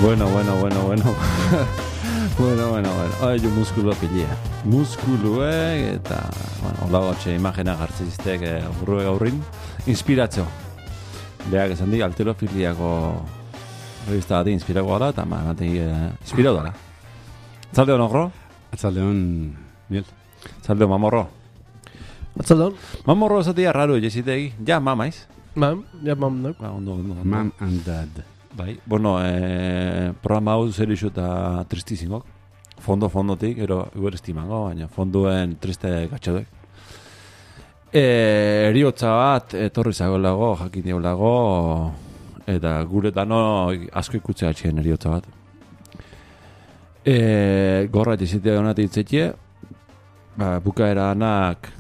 Bueno. Yo muskulo pilia. Muskuluek eta, hola gotxe imagena gartziztek burruek aurrin. Inspiratzo. Beak esan di, alterofiliako revista bati inspirako gara, eta inspiratu dara. Atzaldeon, ogro? Atzaldeon, Miel. Atzaldeon, mamorro. Atzaldeon. Mamorro esatia raro, jesitegi. Ja, mamaiz. Mam, no. Ondo. Mam and dad. Bai, bueno, programa hau zerixu eta tristisingok. Fondotik, ero estimango, baina fonduen triste gatxodek. Eriotza bat, etorri zagolago, jakin diolago, eta guretano asko ikutzea atxien eriotza bat. Gorra etizitea honat itzetie, bukaera anak,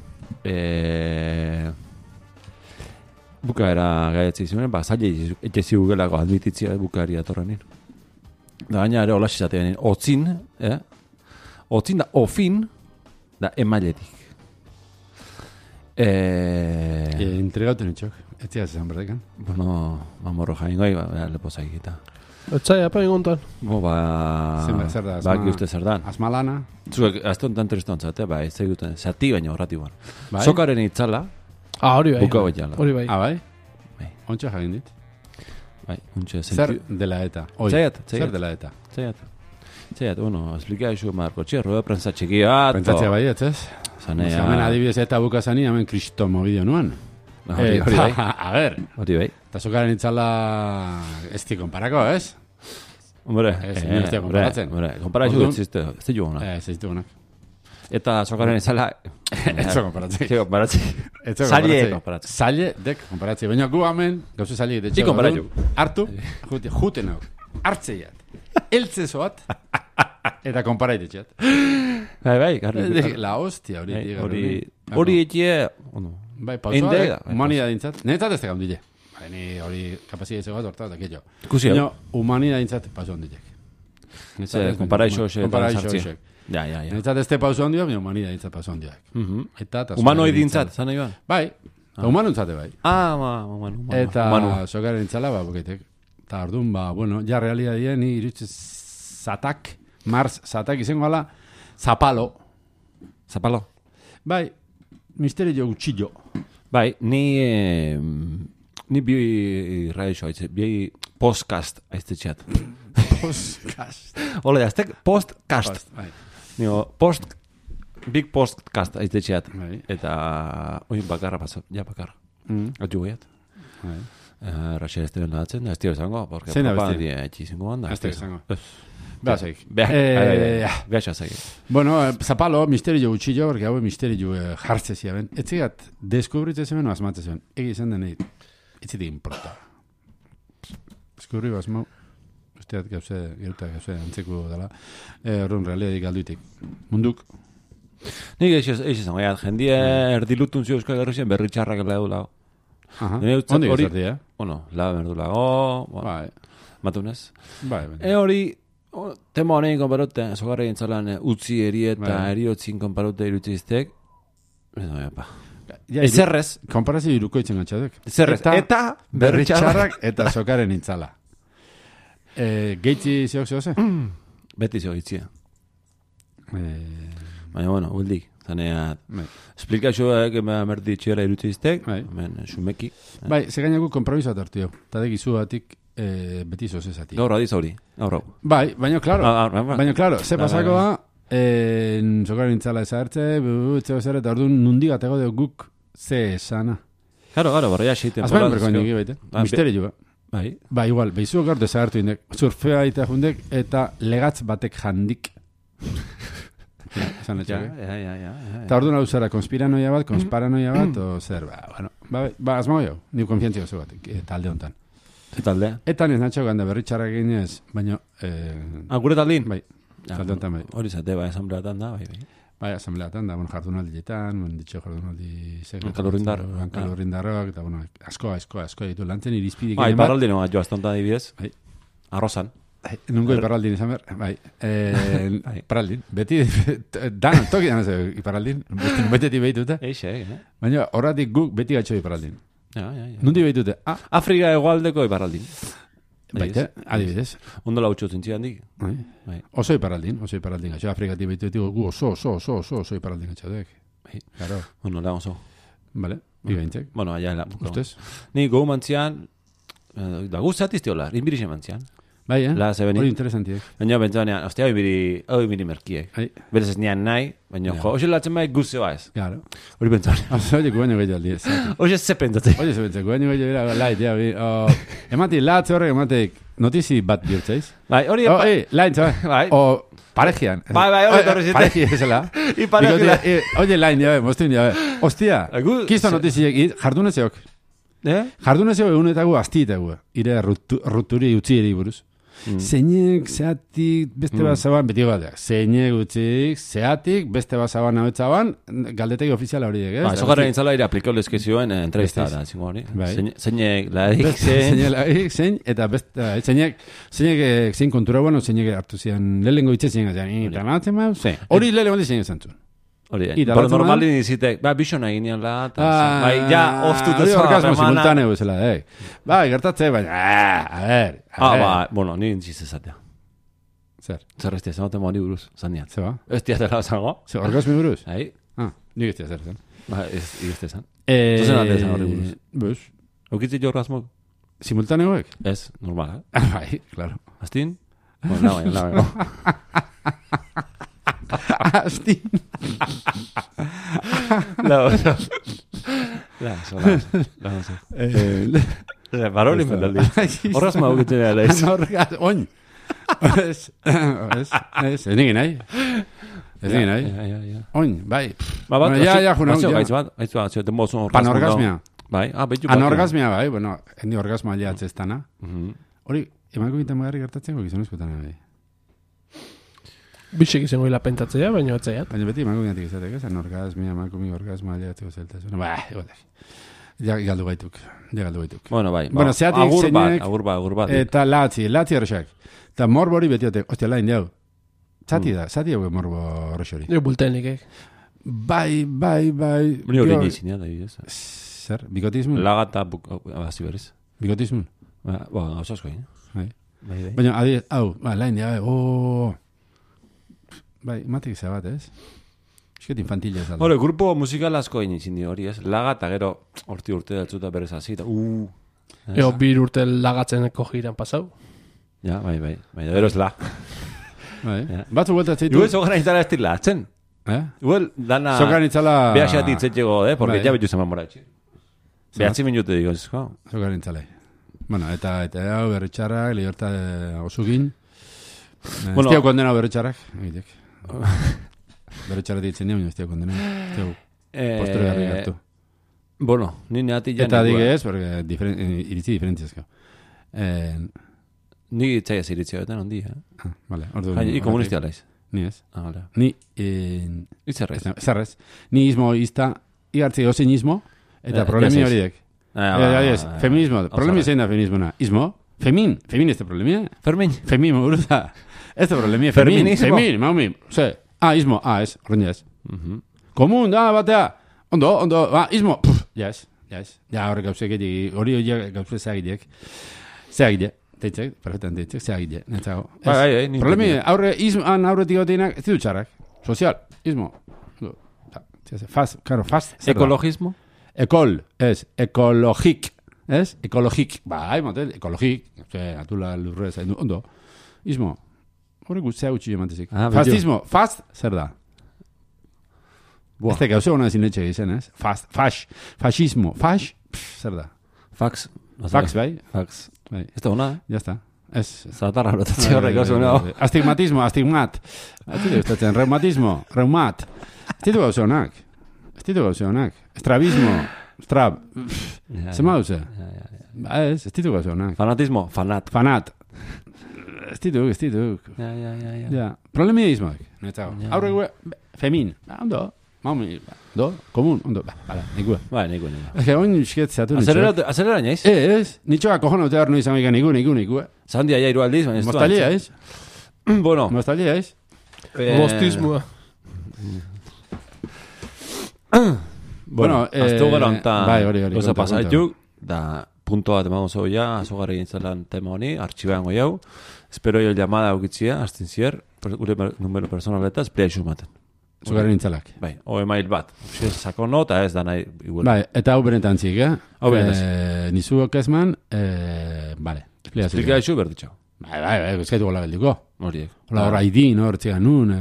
bukaera gaiatzi zuen, zaila etxezi gugelako admititzia bukaeria atorrenin. Da baina ere hola izatean, otzin da ofin da emailetik. Entregauten etxok, ez zia zezan berdekan. Bueno, mamorro jaingoi, lepo zaigita. Etzai, apa ingontan. Zer da, baki uste zer dan. Asmalana. Zuek, azte honetan tristontzate, bai, ez zaiguten, zati baina horrati guan. Bai? Sokaren itzala, Hori bai. buka jala. Hori bai. Bai? Bai. Ontsa jagin dit. Bai, untxe, Zer dela eta? Zer dela eta? Zaiat, bueno, explica isu Marco Txerro, rueda prensa txikia bat. Pentsatzea bai, ez? Zanea. Hemen adibidez eta bukazani, hemen kristomo bideo nuan. Hori bai. A ver. Hori bai. Eta sokaren itzala ez di konparako, ez? Hombre, ez da konparatzen. Konparazio ez ditu honak. Ez ditu honak. Eta sokaren itzala... Ez da konparatzen. Zaile konparatzen. Zaile dek konparatzen. Baina gu hamen, gauzu zaile de txego. Konparazio. Hartu, juten hau. Hartzeiat. Eltzezoat. Eta konparaitzetxeat. Bai, garri. La hostia hori etie... Bai, pausoa, humanidad dintzat. Netzat ez tegam dile. Ni hori kapazia izego bat hortaz dakillo. Ikusi hau. Humanidad dintzat pauso ondilek. Konparaixo hoxek. Ja. Netzat ez te pauso ondio, mi humanidad dintzat pauso ondiak. Humanoi dintzat, zan nahi ba? Bai, humanuntzate bai. Humano. Eta sokaren intzala, bukaitek. Eta orduan, bueno, ja realidadien, ni irutze Mars zatak izango ala, Zapalo. Bai, misterio gutxillo. Bai, ni bi radio haitze, bi podcast aiztetxeat. Podcast. Hola, jaztek, podcast. Bai. Big podcast aiztetxeat. Bai. Eta, oin bakarra paso, ja bakarra. Atxu guiat. Bai. Raxer ez da datzen, ez tio esango, porque propagandi etxizingo handa. Ez tio esango. Behazeik. Behazeik. Bueno, Zapalo, misterio gutxillo, porque hau misterio jartzezia ben. Etzigat, deskubritzen zemen o asmatzen zemen. Egi izan denei, etzitik importa. Deskubriu asmau, usteat gauze antzeko dela. Horren realidadik alduitik. Munduk. Nik izan, jendie erdilutun zio euskal gerrizien berri txarrak lehdu lau. Ondi gazerdi, Bueno, la berdu lago, Bai. matunez. Bai. Hori, tema honein konparute, sogarri entzalan utzi eri eta eriotzin konparute irutziztek. Ezerrez. Konparazio iruko itzen gatxadek. Ezerrez. Eta berri txarrak eta sokaren intzala. Geitzi zeok zehoze? Beti zeo gitzia. Baina, bueno, huldik. Zanea, esplikazioak merdi txera irutziztek, sumeki. Bai, segainak konpromisoat hartu jo. Tadek izu batik beti zozezatik. Gaur adiz hori, gaur hau. Bai, baina klaro, ze pasako da, sokaren intzala ezartze, etzeo zer, eta orduan nundi gatego de guk ze esana. Claro, barria xeiten. Azbain berko nik baite, misterio ba. Bai, igual, behizu gartu ezartu indek, surfea eta jundek, eta legatz batek jandik. Ja. Eta orduan hau zera, konspiranoia bat, o zer, azmago jo, ni konfiantzia oso bat, talde honetan. Talde? Eta niz natxo ganda berritxarrak ginez, baina... Gure taldin? Bai, talde honetan bai. Hori zate, bai, asambleatan da, bai. Bai, asambleatan da, jardunaldietan, ditxo jardunaldi... Kalurrindarroak, eta bueno, asko ditu, lantzen irizpidik... Bai, paraldino bat joaztonta dibidez. Bai. Arrozan. Nungo iparraldin izan behar, bai. Paraldin, beti, dan, toki dan ez iparraldin, betetik behitute. Baina horratik guk beti gatxo iparraldin. Nundi behitute. Afrika egoaldeko iparraldin. Baite, adibidez. Ondo lautxo zintzi handik. Bai. Oso iparraldin gatxa. Afrikatik baitu gu oso iparraldin gatxadek. Claro. Bueno, la oso. Vale, bigaintzek. Bueno, allá la. Ustez? Ni gogo mantzian, da guztat iztiola, inbirixe mantzian. Bai, La se hori interesantiek. Baina bentsanean, ostia, hori merkiek. Berez ez nian nahi, baina jo, hoxe latzen bai guztioa ez. Claro. Hori bentsanean. Oye, guaino gehiago aldi ez. Hoxe ze pentsatzen. Oye, ze pentsatu, guaino gehiago lait, ja, emati, latze horrek ematek notizi bat bihurtzeiz. Bai, hori... Lain, bai. O parejian. Bai, hori torri zite. Pareji ezela. I parejila. Oye, lain, ja, mostin, ja. Ostia, kisto notiziek, jardunezeok. Jardunezeok egunetago astietago. Ire ruturi utzi eri buruz. Zeinek, zeatik, beste bazaban, beti bateak. Zeinek utzik, zeatik, beste bazaban abetzaban, galdetegi ofiziala horiek, ez? Eso garra nintzala ire aplikaulezke zioen entrevista da, zingo hori. Zeinek, ladik, zeinek, ladik, zein, eta beste, zeinek, zein kontura bueno, zeinek hartu zian, lehengo itxe zeinek, eta natzen ma, hori lehengo di zeinek zantzun. Hori, pero normali nizitek, bixona ginean la, bai, ja, oztut ez orgasmo simultaneo bezala, bai, gertatze, baina, a ver. Bueno, ni intziz ezatea. Zer? Zer estia, zenote mori buruz, zandiat. Zeba? Estia zela zango. Zer, orgasmi buruz? Hai. Nik estia zer zen. Ba, estia zan. Zozen ate zan hori buruz. Bus. Eukitzi jo orgasmo? Simultaneoek? Ez, normal, Bai, claro. Astin? Bueno, no. Astin. Baroli mendaldi. Orgasmo eukitzi nea leiz. Oin. Ez nigin nahi. Ez nigin nahi. Oin, bai. Ja, juna. Aizu bat, zioten bozun orgasmo. Panorgasmia. Bai, betu bat. Anorgasmia, bai, bueno, endi orgasmoa liatzeztana. Hori, emango gintan magarri gertatzen gizonezkotan, bai. Bixek izango hila pentatzea, baina atzaiat. Baina beti emango gintatik izatek, ez? Anorgasmia, emankumi orgasmoa liatzeko zeltasun. Ba, igualak. Ja, galdu baituk. Bueno, bai. Bueno, zeatik zeinek... Agur bat. Eta latzi horrexak. Eta morbo hori betiotek. Ostia, lain jau. Zati hau morbo horrexori. Bultenik, Bai. Ni hori nizin, da, ez. Zer, bikotismo? Lagata, abazi berriz. Bikotismo? Ba, oso asko, Bai. Baina, hau, lain jau, Bai, matik zabat, ez? Esket infantilia ez alda. Hore, grupo musikal asko egin hori, ez? Laga eta gero urte datzuta berez hasi. Ego, bir urte lagatzeneko jiran pasau. Ja, bai. Gero ez la. Bai. Batzu vuelta zeitu. Igual sogan itzala ez tila atzen. Igual, dana... Sogan itzala... Behaxeat itzetxego, porque ja betu zeman moratxe. Behatzi minute digo, ez, jo. Sogan itzala. Bueno, eta hau berritxarrak, liberta osugin. Ez tiago kondena berritxarrak. Egitek. Berritxarra ditzen nio, ez tiago kondena. Postre garri gartu. Bueno, ni neati ja... Eta digez, porque iritzi diferentziazko. Ni itzaiaz iritzio, eta nondi, Vale. I komunistia laiz. Ni ez. Vale. Ni... Itzerrez. Zerrez. Ni ismo izta, igartzi gozein ismo, eta problemi horiek. Feminismo. Problemi zein da feminismona. Ismo? Femin este problemi, Femin, uruza. Este problemi, femin, maumi. Ze, ismo, ez, horrein jaz. Komun, batea. Ondo, ismo. Jaz. Ja, horrek gauzek edik, hori gauzek zeagitek. Zeagitek. Teitzek, perfectan teitzek, zeagitek. Problemi, aurretik goteinak, ez ditu txarrak. Sozial, ismo. Fast. Ekologismo? Ekologik. Ez? Ekologik. Bai, motel, ekologik. Atula lurrez, ondo. Ismo. Hore guztia gutxi emantezik. Fastismo. Fast, zer da? Ez teka, hona ezin etxe gizien, ez? Fascismo. Zer da? Fax, bai? Fax. Ez da hona, Ya está. Ez. Zatarra rotatzi horrek, oso no. Astigmatismo. Ez ditu gustatzen. Reumat. Ez ditu gauze honak. Estrabismo. Zema duze? Ez ditu gauze honak. Fanatismo. Fanat. Ez ditu. Ja. Problemia izmoak. Aurre femin. Ondo. Maumi. Komun. Ondo. Bala, nikua. Nikua. Ez que oin isket zeatu Azelera naiz? Ez. Nitxoa kojona utear noiz amika nikua. Zandia ja iru aldiz, baina ez Mostalia, ez? Bueno. Mostalia, ez? Mostismoa. Bueno, aztu gara onta... Bai, hori. Oza pasaituk, da punto bat emango zau ja, azogarri gintzelan tema honi, artxibean goi hau. Espero jo llamada aukitzia, hastin zier, gure numero personaleta, esplia isu maten. Zugarren intzalak. Bai, o email bat. Sakono eta ez da nahi igual. Bai, eta hau benetan zik, Hau benetan. Nizuok ezman, vale. Esplika isu berditxau. Bai, eskaitu gola geldiko. Horiek. Hola, hor haidin, hor txigan nun.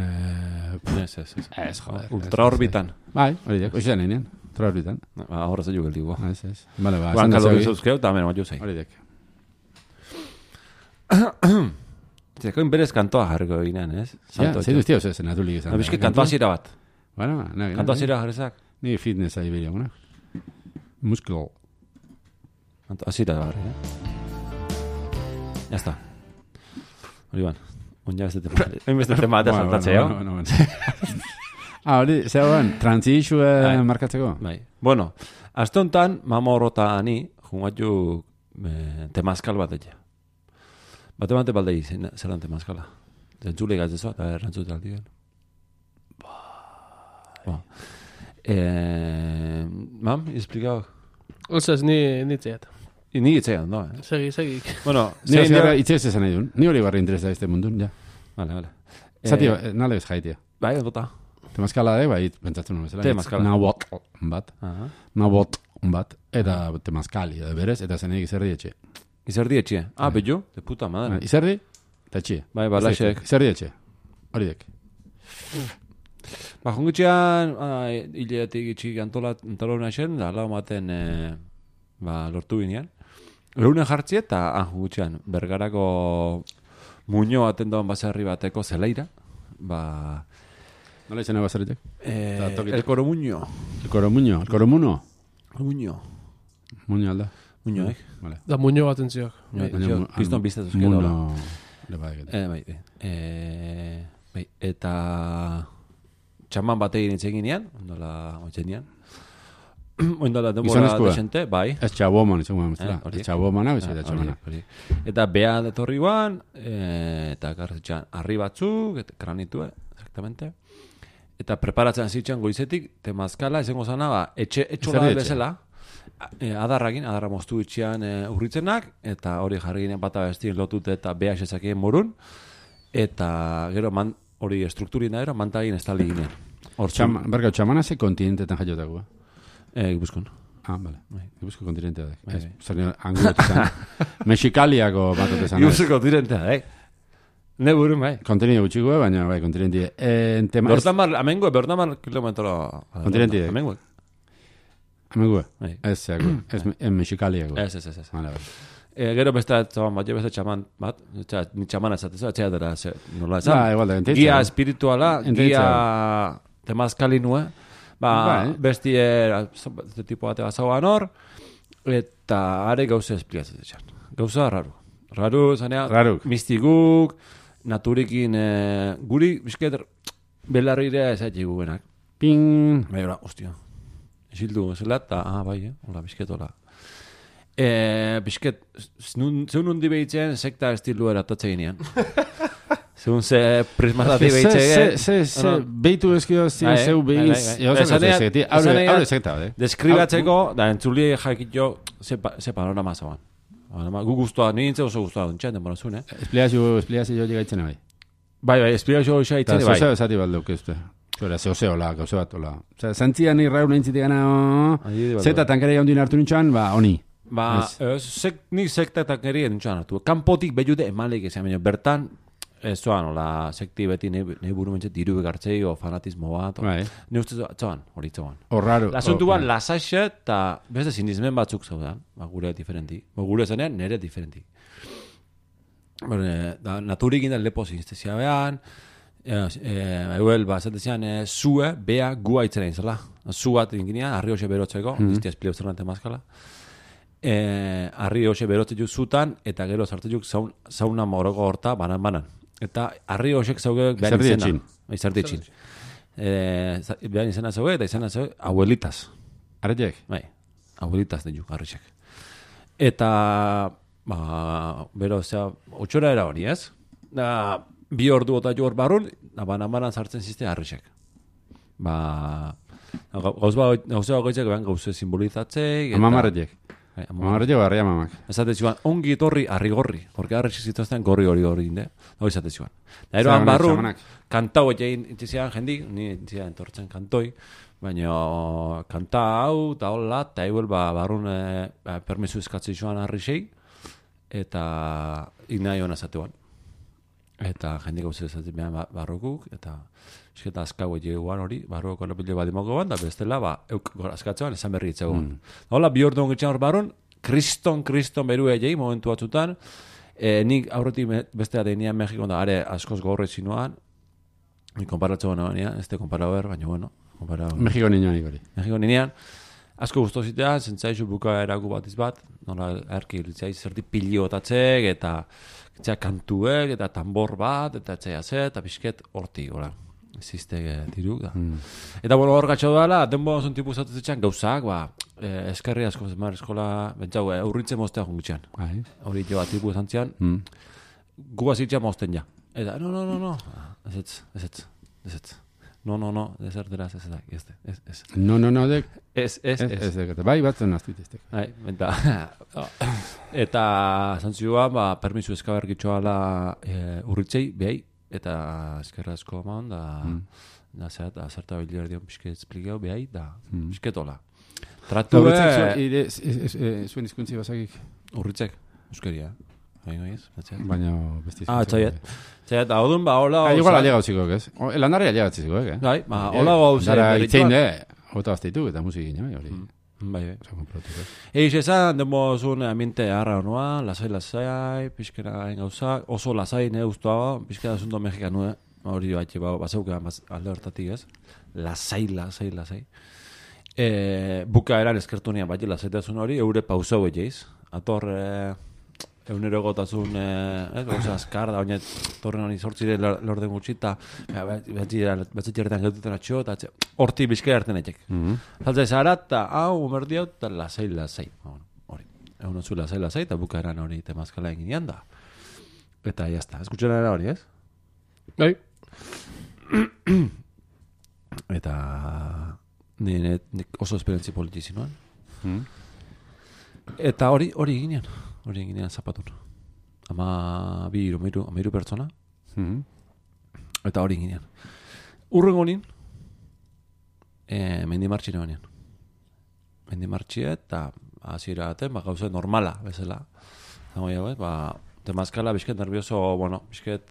Ez, joder. Ultraorbitan. Bai, horiek, oizan egin, ultraorbitan. Horra zailu geldiko. Ez. Bale, ba, Guan kalo bizuzkeu, eta hemen bat zei. Horiek. Zeko inberez kantoa jarriko eginen, ez? Ja, zeitu iztia oso zen, atulik izan. Bizki kantoa zira bat. Bueno, Kantoa zira jarrezak. Ni fitness ahi beria, bueno. Muskul. Kantoa zira jarri, Ya está. Hori ban. Unja beste tema eta saltatzea. Hori, zegoen, transizue markatzeko? Bai. Bueno, aste honetan, mama horrota ani, jungatu temazkal bat egia. Bate baldei zelan temazkala. Zentzule gaztezoa, eta errantzute aldi gen. Mam, izplikau? Osez, ni txeat. Ni itzean, no, Segi. Bueno, Ni hori itzez esan nahi duen. Ni hori barri interesa este mundun, ja. Vale. Zati, nale ez jaitia. Bai, ondota. Temazkala da, bai, pentsatzen nuen bezala. Temazkala. Nabot bat. Eta temazkali, berez, eta zeneik izerdi etxe. Izerdi etxe. Bello, de puta madre. Izerdi, eta etxe. Bai, balaxek. Izerdi etxe. Hori dek. Jungutxean, hileatik itxik antolona esen, da lau maten lortu binean. Eunen jartzi eta jungutxean, Bergarako muño baten doan baserri bateko zelaira. Nola izan baserritek? El Coromuño. El Coromuño? El Coromuno? Muño. Muño alda? Muño, Vale. Da muño bat entziok. Kriston biztatuz gero. Muno. Bai. Eta txaman bategin itzeginean, ondola oitzenean. Oindala denbora desente, bai. Ez txaboman, izan guen bezala. Ez txabomana, ez txabomana. Eta beha detorri guan, eta garretxan arri batzuk, kranitu, exactamente. Eta preparatzen zitzen goizetik, temazkala, izango zana, etxola bezala, adarra moztu itxian urritzenak, eta hori jarri ginen bata bestien lotut eta beha esezakien morun, eta gero hori strukturina ero, mantagin estali ginen. Bergau, txamana ze kontinentetan jaiotako, Gipuzkoan. Vale. Gipuzko kontinentea da. Zerni, angulotetan. Mexikaliako batotesan. Gipuzko kontinentea, Ne burun, bai. Kontinente gutxiko, baina bai, kontinentie. Amengo, bertamar kilometro. Kontinentie. Amengo. Amengo. Ez Mexikaliako. Ez. Vale. Gero beste txaman bat, beste txaman bat, ni txaman ezatezu, etxea dara, nola ezan. Igual da, entitza. Gia espirituala, gia temazkali nue, bestie, tipo bate bazauan hor, eta are gauza esplikatzen etxan. Gauza raru, zanea, mistiguk, naturikin, guri, bizket, belarrire ezaitik gugenak. Ping! Bai, hola, ostia. Esildu, zela, eta, bai, hola, bizket, hola. Bizket, zeun hundi behitzen, sekta estilu eratatzen ginean. Zeun ze prismatati behitzen. Ze behitu ezkio zeu behiz. Haure sekta, deskribatzeko, da entzuli jakitio, ze panorama zauan. Gu guztua, nintzen oso guztua duntxean, denbora zuen, Espliazio llegaitzen bai. Bai, espliazio hoxa itzen, bai. Zozeo esati bat duke uste. Zozeo, gauze bat, hola. Zantzian irraun nintzitik gana, zeta tankera jaundin hartu nintxan, honi. Nik sekta tankeri nintxan hartu. Kanpotik behiude emalek ezan, bertan, ez zoan, hola, sekti beti nahi buru mentxet diru begartzei, o fanatismo bat, ne uste zoan, hori zoan. Horraro. Lasuntu ban, lasaxe, eta beste sinizmen batzuk zaudan, gure diferenti. Gure zanean, nire diferenti. Naturik inda lepo zinestezia behan, euel, zatezian, zue, bea, gua itzera inzala. Zu bat inginean, arri hoxe berotzeko, iztia esplio zerrante mazkala. Arri hoxe berotzeko zutan, eta gero zartzeko zauna moroko horta, banan. Eta arri hoxek zauge behan izena. Izerdi etxin. Behan izena zauge, eta izena zauge, abuelitas. Arretiek? Bai, abuelitas ditu, arritxek. Eta, bero, otxora era hori, ez? Bi ordu eta jo hor barrun, banan sartzen zizte arritxek. Gauza goitzek behan gauze simbolizatzei. Amamarretiek? Amarre llego arria mamak. Esate ziuan, ongi etorri arrigorri, porque arri zituzten gorri inde, hori esate ziuan. Da eroan barrun, kantau egin intzizian jendik, ni intzizian entortzen kantoi, baina kanta hau, eta hola, eta eguel barrun permisu eskatzi zuan arri sei, eta ignai hona zatean. Eta jendik hau zezatzen behan barrokuk, eta esketa azkau eguan hori, barroko lepile bat imoko ban, da bestela, euk askatzean esan berri itzegoan. Hola, bi ordu ongitzen hor barrun, kriston beru egei, momentu batzutan, nik aurretik bestea deinean Mexikon da, are askoz gorre zinuan, ni konparatzen baina, ez te konpara ber, baina bueno, Mexiko niñoan ikori. Mexiko niñoan, asko guztu zitea, zentzaizu buka eraku batiz bat, nola erki ilitzaiz zerti piliotatzek, eta kantuek, eta tambor bat, eta etxea eta pixket horti, hola. Zizte tiruk da. Eta bueno, hor gatxo dala, denbo zon tipu zatezetxean gauzak, eskerri asko zemar eskola, bentsau, urritzen moztea jungitxean. Hori jo bat tipu esantzian, guba zitxean mozten ja. Eta, no, ez. No, desertera ez. No, dek. Ez. Bai, batzen naztuiteztek. Bai, eta zantzioan, permisu eskabergitxoa ala urritzei, behai, eta eskerra asko eman, da zerta biliar dion pixket esplikau behai, da pixketola. Tratu zuen izkuntzi basakik? Urritzek, euskeria. Baina besti txaiet, hau dun, hola... Igual alia gauziko, ez? Landarri alia gauziko, eh? Bai, hola gauziko. Dara itzein, hota bazteitu, eta musikin, hori. Bai. Eix esan, demozun ambiente harra honua, lasai, pixkera gauza, oso lasai, ustoa, pixkera asunto mexikanu, hori batxe, bazeukean alde hortatik, ez? Lasai. Buka eran eskertunian batxe lasaitasun hori, eure pausau egeiz. Ator, eunero gotazun, gauza askar, da baina torren honi sortzire lorden gutxita, batzetxerretan gaututen atxo, eta horti bizkera erten etxek. Zaltzai zara, eta hau, merdi hau, eta lasai. Hori, egun otzu lasai, eta buka eran hori temazkala eginean da. Eta jazta, eskutxen era hori, ez? Bai. Eta nik oso esperientzi politizi noan. Eta hori ginean. Hori ginean zapatun. Amairu pertsona. Eta hori ginean. Urrengo nien, mendimartxine banean. Mendimartxie eta hasiera baten, gauza normala, bezala. Temazkala, bizket nervioso, bizket,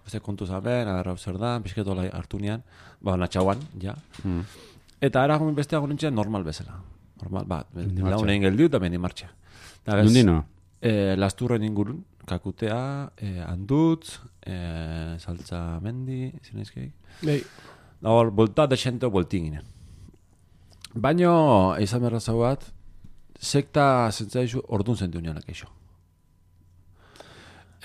beste kontu zaben, agarra zer da, bizket hola hartu nian, natxauan, ja. Eta ara beste agonintzen normal bezala. Normal, launen geldiu eta mendimartxia. Nundino? Lasturren ingurun, kakutea, andutz, saltza mendi, zinezkeik. Hor, bolta desento boltin ginen. Baina, izan berra zau bat, sekta zentzaizu ordun zentu nianak eixo.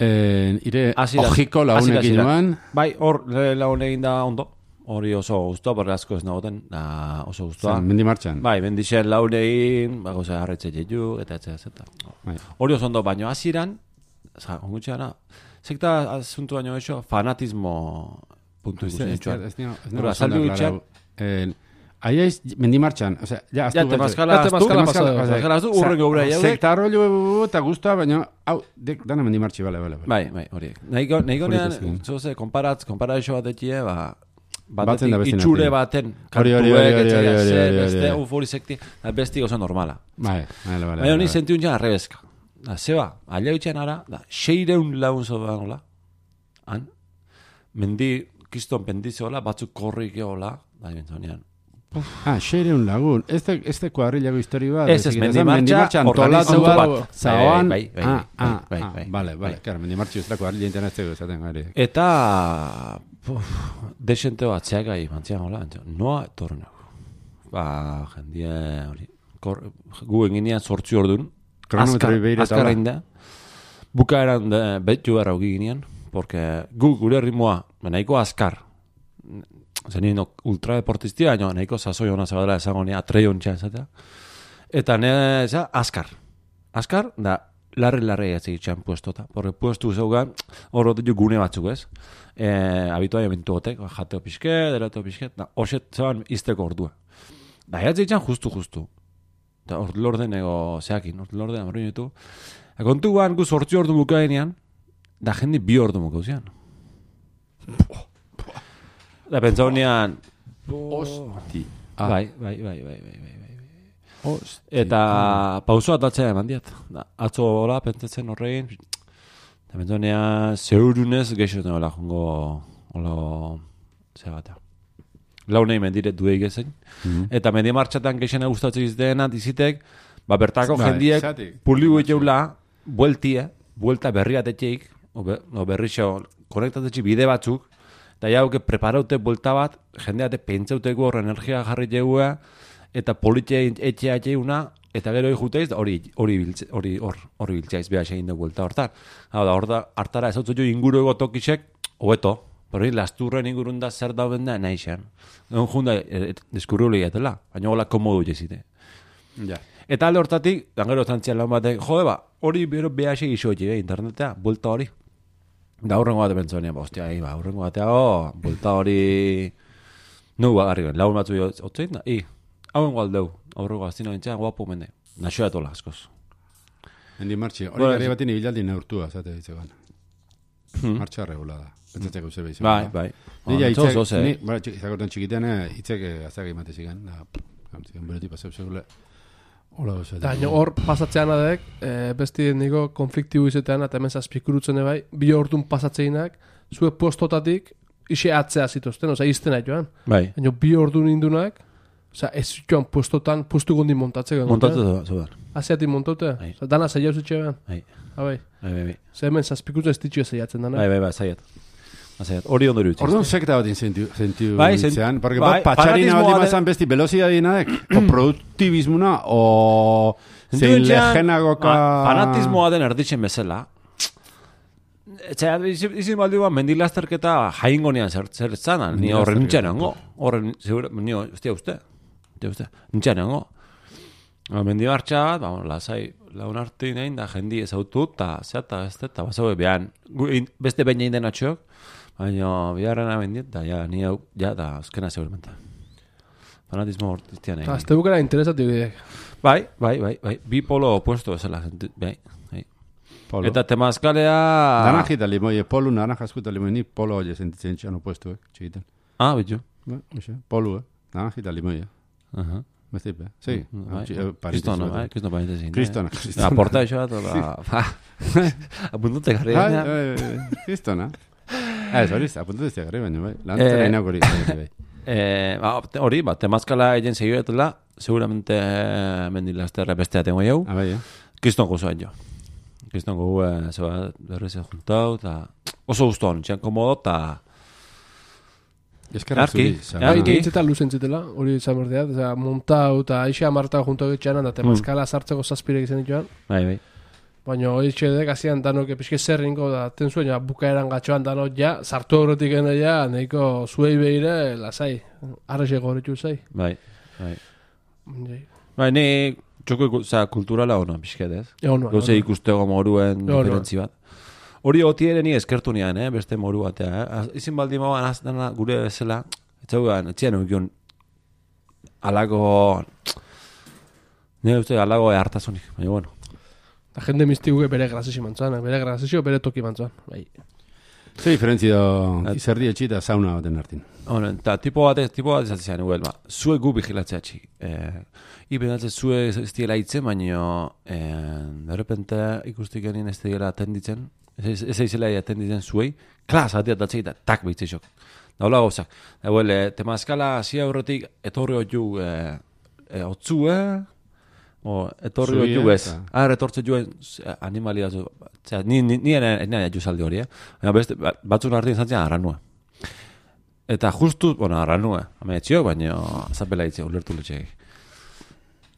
Ire, ojiko launek inoan? Bai, hor launek da ondo. Hori oso guztua, borre asko ez nagoten, oso guztua. Mendi martxan? Bai, mendixen launein, goza harretxe jeju, eta zeta. Hori oso ondo, baino hasieran, ongutxeara, sekta asuntu baino eixo, fanatismo puntu ikusten etxuan. Azaldu gutxean. Aiaiz, mendi martxan, osea, ja, temazkala aztu, urren gobra jau. Sekta rollo eta guztua, baina, hau, dana mendi martxi, bale. Bai, horiek. Nahiko nean, zoze, konparazio bat etxie, batetik itxure baten kantuek, beste ufori sekti, besti oso normala. Bale. Baina honi sentiun jan arrebezka. Zeba, alia bitxean ara, 600 lagun zoda nola, han, mendi, kiston pendize hola, batzuk korrik hola, da bentzonean. 600 lagun, ez de kuadrillago histori bat. Ez, mendi martxa, organizatu bat. Zauan, bai. Bale, klar, mendi martxa ez da kuadrilla interneteko esaten gari. Eta, desente bat zeagai mantzian hola, noa etorrenak. Jendie hori, gu enginean sortzi ordun, azkarra inda, bukaeran betu erra hogi ginean, porque gu gure ritmoa, nahiko azkar, zenien ultradeportistia, nahiko sasoi hona zabadela esango nia, atreion txan, eta nire azkar, da, larri atzik puestota, porque puestu zeugan, hor ditu gune batzuk ez, habituai eventu gotek, jateo pixket, derateo pixket, horxet zeban izteko ordua. Da, atzik justu. eta ordelorden ego zeakin, ordelorden amorri ditu. Kontuan, gu 8 ordu bukaenean, da jende 2 ordu bukauzian. Da pentsaunean, Hosti. bai. Eta pausoa atatzea eman diat. Atzo hola, pentsatzen horrein, eta pentsaunean, zeurunez geixo nola jongo, hola, zebata. Launei mendire duei gezen. Eta mendi martxatan geixena gustatzen izdeena, dizitek, bertako jendiek puli gueteula, buelta berri atetxeik, o berrixo, konektatetxik bide batzuk, eta jauke preparaute buelta bat, jendeate pentsauteko hor energia jarri jeua, eta politia etxea etxeuna, eta gero ikuteiz, hori biltzaiz beha segin dugu buelta hortan. Hau da, hartara ezautzu jo inguru ego tokisek, hobeto, hori lasturren ingurun da zer dauden da nahi xean. Egon junda, deskurriuli etela, baina hola komodu jezite. Ja. Eta alde hortatik, gero zantzian lan batek, jode hori bero BH isoetxe, internetea, buelta hori. Da aurrengo bate pentsonean, hostia, aurrengo batea, buelta hori... Nu bagarri ben, lagun batzu otzein da, hauen gualdeu, aurrengo aztino gintzean, guapo mende. Naxoa etola, askoz. Hendi martxi, hori gari batin ibilaldi neurtua, zate ditzegan. Martxa regulada. Pentsatzeko zer behizu. Bai. Nila hitzek, izakortan txikitean, hitzek azak imate zigan, bereti paseu segule. Eta hor pasatzean adek, besti niko konfliktibu izetean, eta hemen zazpikurutzen ebai, 2 ordun pasatzeinak, zue postotatik, ise atzea zituzten, oza, iztena joan. Bai. Baina 2 ordun indunak, oza, ez joan postotan, postu gondi montatzeko. Montatzeko, zudan. Aziatik montaute? Bai. Oza, dana zaila uzitxe behan? Bai. Bai. Zer hemen zazpikurutzen ez ditxio zeiatzen dana. Bai, zaiat. Hori ondo irutzi. Orduan sekta bat inzentiu Bai, itzean, porque bai, patxarina bat fanatismoa imazan besti velozidadinadek, o produktibismuna, o zein lehenagoka... Fanatismoa den erditzen bezala. Etxea, izin baldi bat, mendilazterketa jaingo nian zer zanan, ni horren nintxan hango. Horren, ni ustea uste. Nintxan hango. Mendibartxa bat, lasai, laun hartu nahin, da jendi ezautu, eta zeata, eta bazaue behan, beste baina inden atxok, baina biharrena bendiet, da ja, ni hau, ja, da, azkena segurmenta. Fanatismo hortiztian egin. Azte bukera interesatu bidek. Bai, bi polo opuesto bezala, bai. Polo. Eta temazkalea... Naranjita limoie, polu, naranjazkuta limoie, ni polo oie sentitzen txan opuesto, txikiten. Bitu. Polu, naranjita limoie. Beste, sí. Kristona, paintezin. Kristona. Aporta això, apuntute garri. Kristona. Hori, apuntute garri baino, bai. Lantera inak hori. Hori, temazkala egin segioetela, seguramente mendilazterra bestea tengo jau. Kriston gozoa jo. Kriston gogoa, zeba, berrezen juntau, eta oso guztuan, txan komodo, eta... Eskerrak zuri. Itzetan luzen zitela, hori izan berdeat, montau eta aixe amartau junto egitxanan, eta temazkala sartzeko zazpirek izan dituen. Bai. Baina hori txedek azian danok epizke zerrinko da, tenzuen, bukaeran gatxoan danok ja, sartu horretik gana ja, nahiko zuei behire, lasai, arreze gorritu zai. Bai. Bai, ni txoko kulturala ono, pixket ez? Gauze ikustego moruen diferentzi bat. Hori otiere ni eskertu nian, beste moru batea. Izin baldi moan aztena gure bezala, etxean eukion alago... Nire uste alago hartasunik, baina bueno. La jende mistiguke bere grazesi mantzuan, bere grazesio bere toki mantzuan. Ze diferentzia izerdi etxita sauna baten hartin. Eta tipo bat ezatzen nuel, zue gu vigilatzea txik. Ipenatzen zue ez diela hitzen, baina de repente ikustik genien ez diela atenditzen, ez eizela atenditzen zuei, klas atiatatzei eta tak behitzeixok. Da hola gauzak. Temazkala zia horretik etorri hotu otzue, etorri hotu ez. Etortze juen animalia zu. Ni ena juzaldi hori, batzun hartin zantzen arranua. Eta justu, arranua, etxio, baina zapela hitze, ulertu letxeak.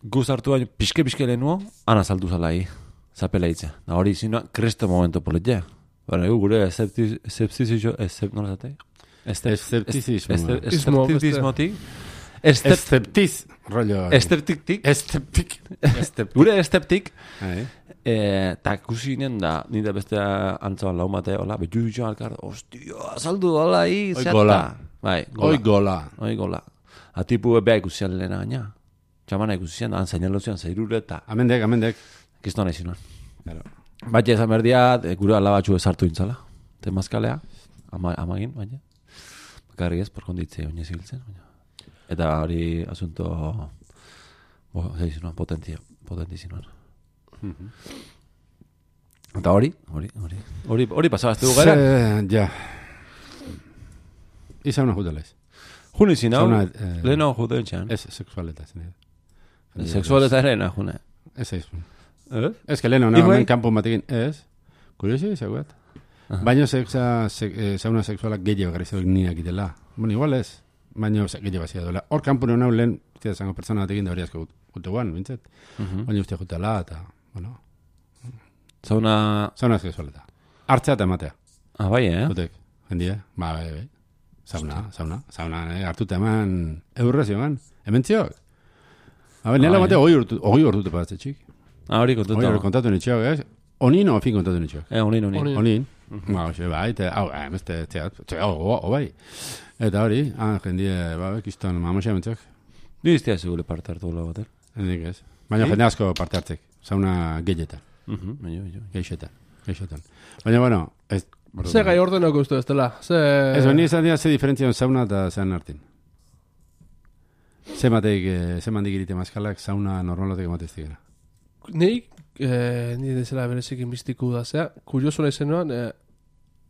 Guz hartu baino, pixke lehenuo, ana saldu zalai, zapela hitze. Da hori zinua, kresto momento politia. Gure esceptizismo, nola zate? Esceptizismotik. Esceptiz, rollo. Esceptik. Gure esceptik. Eta kusinen da, nire beste antzaban lau mate, hola, betu joan alkar, ostia, saldu, hola, zeata. Oi gola. Atipu beha ikusian lehena gaina. Txamana ikusi zian, han zainalozian zairure eta Amendek. kiston nahi zinuan. Claro. Baina ezan berdia, gure alabatxu ezartu intzala. Temazkalea, amagin, baina. Bakarri ez, por konditze oinez ibiltzen. Eta hori asunto, zinuan, potenti zinuan. Eta hori pasabazte du gara? Ja. Izauna jutelez. Juni zinau, leheno juten txan. Ez, sexualeta zen. Sexualeta ere june. Ez aizu. Ez que leheno, hemen kanpun batekin. Ez. Kuriosi, zegoet. Baina sauna sexualak gehiago garrizabek niak itela. Bueno, igual ez. Baina gehiago bazia duela. Hor kanpun hona lehen, tira zango persona batekin da hori asko guteguan, bintzet. Baina ustia jutela, eta, bueno. Sauna sexualeta. Hartzea eta ematea. Bai, Jutek, jendia. Bai. Sauna, hartuta eman eurrezio eman. Hemen txiok. Nela ematea hoi urtute paratze txik. Hori kontatu. Hori kontatu nitxiok, ez? Onin o fin kontatu nitxiok? Onin. Bai, beste, bai. Eta hori, jendie, kiston, mamosia mentxok. Diztia segure parte hartu gula bater. Hendik ez. Baina jende asko parte hartzek. Sauna gehietan. Geixetan. Baina, bueno, ez... Ze gai ordenoko uste ez dela? Ez, baina izan dira ze diferentzia sauna eta zean hartin. Ze mandik irite maskalak sauna normalotek ematez digena. Nik, ni dezela berezik inbistiku da, zera, kurioso nahi zenuan,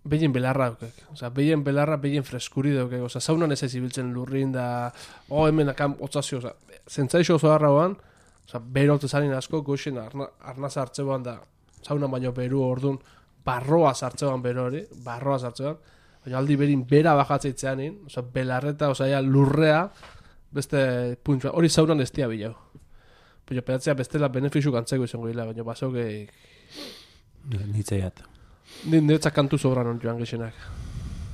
behien belarra daukek. Osa, behien belarra, behien freskuri daukek. Osa, saunan ez ibiltzen lurrin da, hemen akam otzazio, osa, zentzaixo oso harra hoan, osa, berolte zanin asko, goxen arnaz hartzeuan da, saunan baino beru ordun, barroa sartzeuan bero hori, baina aldi berin bera bajatzea osa, belarreta, osa, lurrea, beste puntua, hori saunan ez dia bilau. Baina pedatzea bestela benefizu gantzeko izango dila, baina basauke... Nitzaiat. Niretzak kantu sobran hon joan gexenak.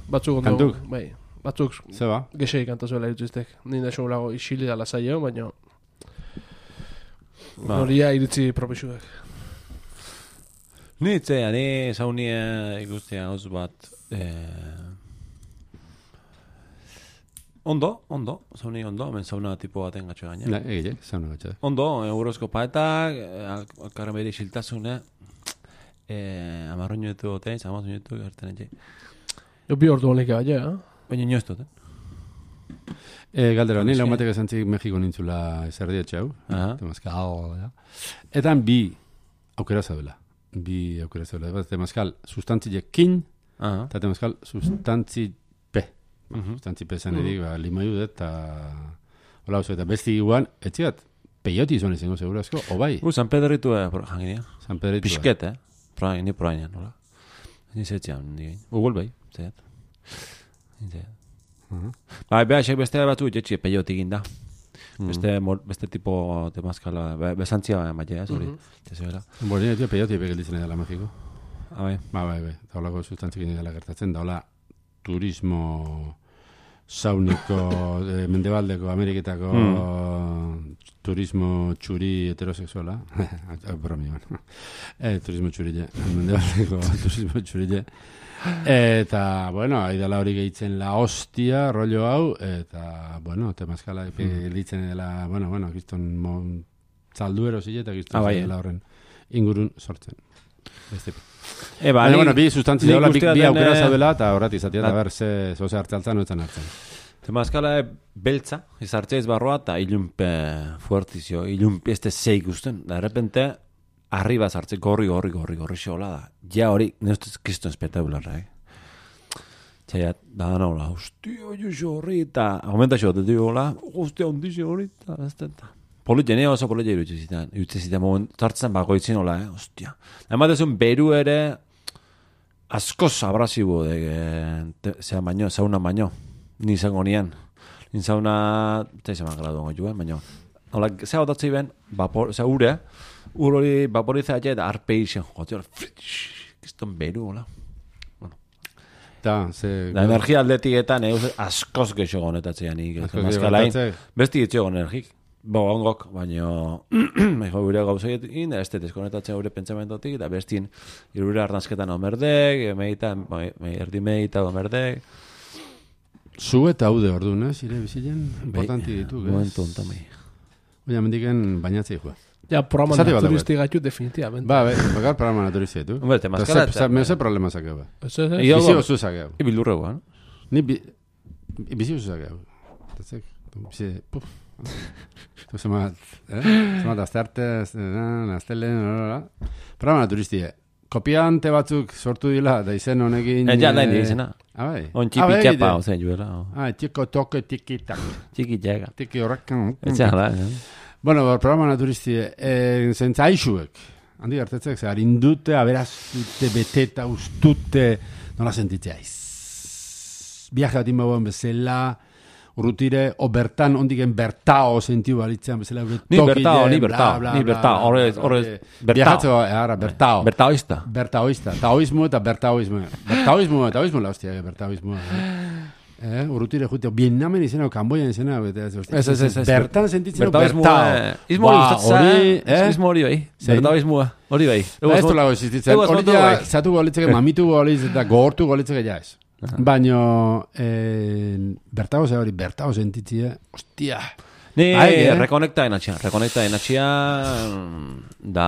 Batzuk ondo... Kantuk? Bai, batzuk... Zeba? Gexei kantazuela irutiztek. Nire esan lago isili da lasaio, baina... Noria iritzi propisuak. Nitzea, ni saunia ikustia oso bat... Ondo, sauni ondo, hemen sauna tipo baten gatxe gaina. Sauna gatxe. Ondo, eurozko paetak, alkarren behiri xiltasune, amarro minutu gotein, zamaz minutu gertzen etxe. Jo bi ordu honik gaia, Baina inoz duten. Galdera, ni laumatek esantzik Mexiko nintzula ezerdietxe hau. Etan bi aukera zaudela. Bat, temazkal sustantzilekin, eta temazkal sustantzi Sustantzipe zen edik, limaiu dut, eta hola oso, eta besti iguan, etziat, peioti izan izango segurazko, o bai? San Pedritu janginia. San Pedritu. Pisket, ni proainan, hola. Ni zetzian, Google bai, zeiat. Bai, behar, beste batu, jetxi, peioti ginda. Beste tipo temazkala, besantzia maia, hori. Bordin, etio peioti epegelditzen edala Mexiko. Bai. Bai, eta holako sustantzikin edala gertatzen, da hola, turismo sauniko mendebaldeko Ameriketako turismo txuri heterosexuala bromioan turismo txurille mendebaldeko turismo txurille eta bueno, aidala hori gehitzen la hostia rollo hau eta bueno, temazkala gelditzen dela bueno, kiston zalduero zile eta kiston dela horren ingurun sortzen Bueno, bi sustantzi daula, bi aukera zaudela, eta horret izatea, eta ber, zoze hartzaltzan, oetzen hartzen. Temazkala beltza, izartzea izbarroa, eta ilunpe fuertizio, ilunpe este zeik usten, da repente, arriba zartze, gorri xola da. Ja hori, neustez kiston espetabularra, Txaiat, da naula, hostia, jo horri, eta aumenta xo, hola, hostia, ondixo horri, eta ez da. Politxe, oso politxe irutze moment, zartzen bagoitzin hola, hostia. Ematezun beru ere, askoz abrasibo, sauna baino, ni izango nian. Ni sauna, eta izan gradu ongo baino. Hola, zea botatzei ben, ure hori vaporiza eta arpei zen, jote, kiston beru, hola. Da energia atletiketan, askoz gexo gonetatzean, besti getxo gonergik. Ongok, baina gure gauzeekin, ez deskonetatzea gure pentsamentotik, eta bestien irure arnazketan omerdek, erdi meita omerdek. Zu eta haude ordu, ire bizilen, importanti ditu, momentu ontamei. Oina, mendiken bainatzei joa. Ja, programa Esate bat naturisti gaitu definitivamente. Ba, bakar programa naturizia, tu. Hombre, temazkala... Me ose problema sakeu, ba. Eso. Bizi oso sakeu. Ibilurre guan. Ni bizi oso sakeu. Tatzek, bizi... Zemat, aztarte, aztelen, programa naturistia. Kopiante batzuk sortu dila, da izen honekin... Ja, nahi di izena. Bai. On txipi txapa, ozen juela. Txiko toke tiki-tak. Txiki txega. Tiki horrekan. Etxean da, Bueno, programa naturistie, zentzaixuek, handi hartetzek, harindute, aberazute, beteta, ustute, nola sentitzeiz. Viaje bat inbauen bezala, urrutire, o bertan, ondiken bertao sentiu balitzean bezala, ni bertao, horrez, bertao. Bertaoista. Bertaoista, taoismo eta bertaoismo. Taoismo la hostia, bertaoismo. Urrutire juteo, Vietnamen izena o Kamboian izena, bertan sentitzen bertao. Izmo hori gustatzen, izmo hori bai. Bertaoismoa, hori bai. Ez du lago existitzen, hori ja, zatu golitzeke, mamitu golitzeke, eta gogortu golitzeke ja ez. Baina, bertao ze hori, bertao sentitzea, ostia. Ni rekonekta enatxia, da,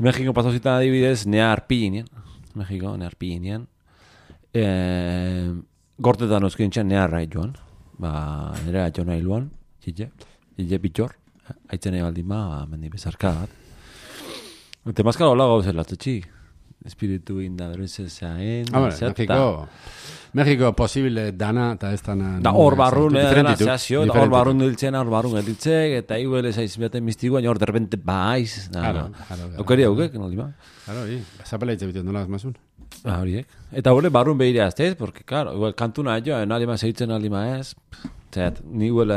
Mexiko pasauzitan adibidez, nea arpillinien, gortetan oskintxan neharra joan. Nire atxo nahi luan, txile pitxor, haitzen nahi baldin mendi bezarka bat. Temazkala hola gauz elatzatxik. Espiritu inda berezezaen, Mexiko posible dana, eta ez dana... Da hor barrun edanazazio, da hor barrun diltzen, hor barrun editzek, eta iguele zaiz behaten mistikoa, hor derbente baiz. Okeri haukek, noldi ba? Claro, zapela hitz egiten nola azmazun. Horiek. Eta hori barrun behire aztez, porque, claro, igual kantuna jo, nalima zeitzen nalima ez, zet, ni igual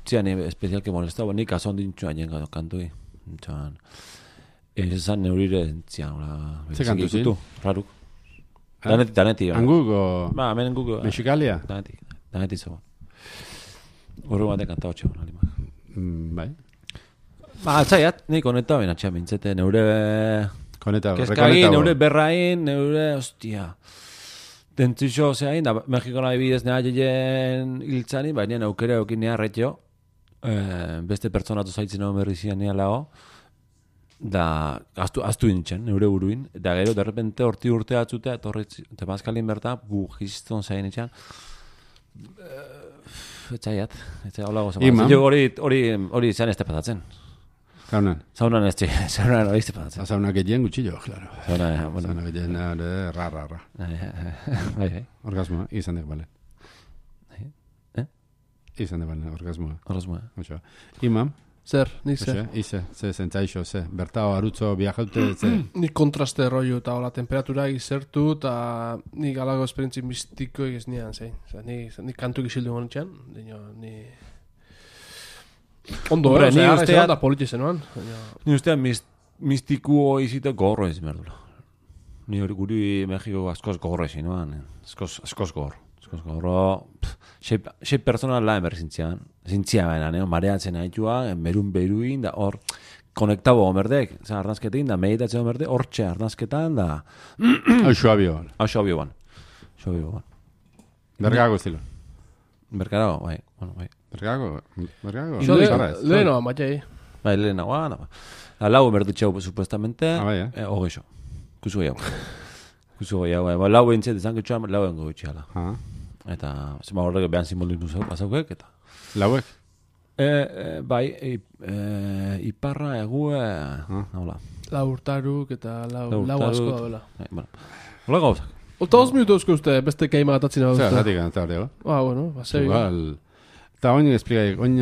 txian especial que molestaba, nik azon dintxu aien kantui. Txan, esan neurire txian, ze kantu zin? Raruk. Daneti. Anguk o... Ba, hemen Anguk. Mexikalia? Daneti zo. Horro batek kantau txau, nalima. Bai. Ba, atzaiat, nik koneta baina txan bintzete, neure... Kezkagin, neure berrain, neure, hostia. Dentzixo zeain, da Mexikon adibidez neha jeien hiltzani, baina aukere okin nea retxo, beste pertsonatu zaitzen hau berrizian nea lao, da aztu nintzen, neure buruin, da gero, derrepente horti urte atzutea, temazkalin berta, gizton zain etxan, etxaiat, hola gozama. Hori zean ez tepatatzen. Saunan ez txik, saunan hori iztepatzen. Saunak egin gutxillo, claro. Saunak egin, ra. Bai. Orgasmoa, izan dek balen. Izan dek balen, orgasmoa. Imam? Zer, nik zer? Ze zentzaixo, ze. Bertao, arutzo, biajaute, ze. Nik kontraste rollo eta hola temperatura izertu, eta nik alago esperientzi mistiko egiz nian, zein. Nik kantu gizildu honetxean, ni... Ondo, ni ustean da politize noan. Ni ustean mistikuo izite gorro ez merdula. Ni hori guri Mexiko askoz gorro ezin noan. Askoz gorro. Sei persona la emer zintzian baina, mareatzen haitua, beruin, da hor konektabo omerdek, arnazketin, da meditatzen omerdek, hortxe arnazketan, da... Xoabio ban. Bergago estilo. Bergago, bai. Bergago. Leheno, amatxai. Bai, leheno, lau emerdutxau, supuestamente, hogeixo. Kusu gehiago. Lau entzet izan gutxoa, lau engo gutxiala. Eta, zema horrek behan simbolismo pasaukek, eta... Lauek? Bai, iparra, egue, hola. Lau urtaruk eta lau asko da bela. Hola gauzak. Ota 2 minutu eusko uste, beste keima gatatzen hau. Zer, gatik gana, eta hori, bueno, basei. Eta oin esplikai, oin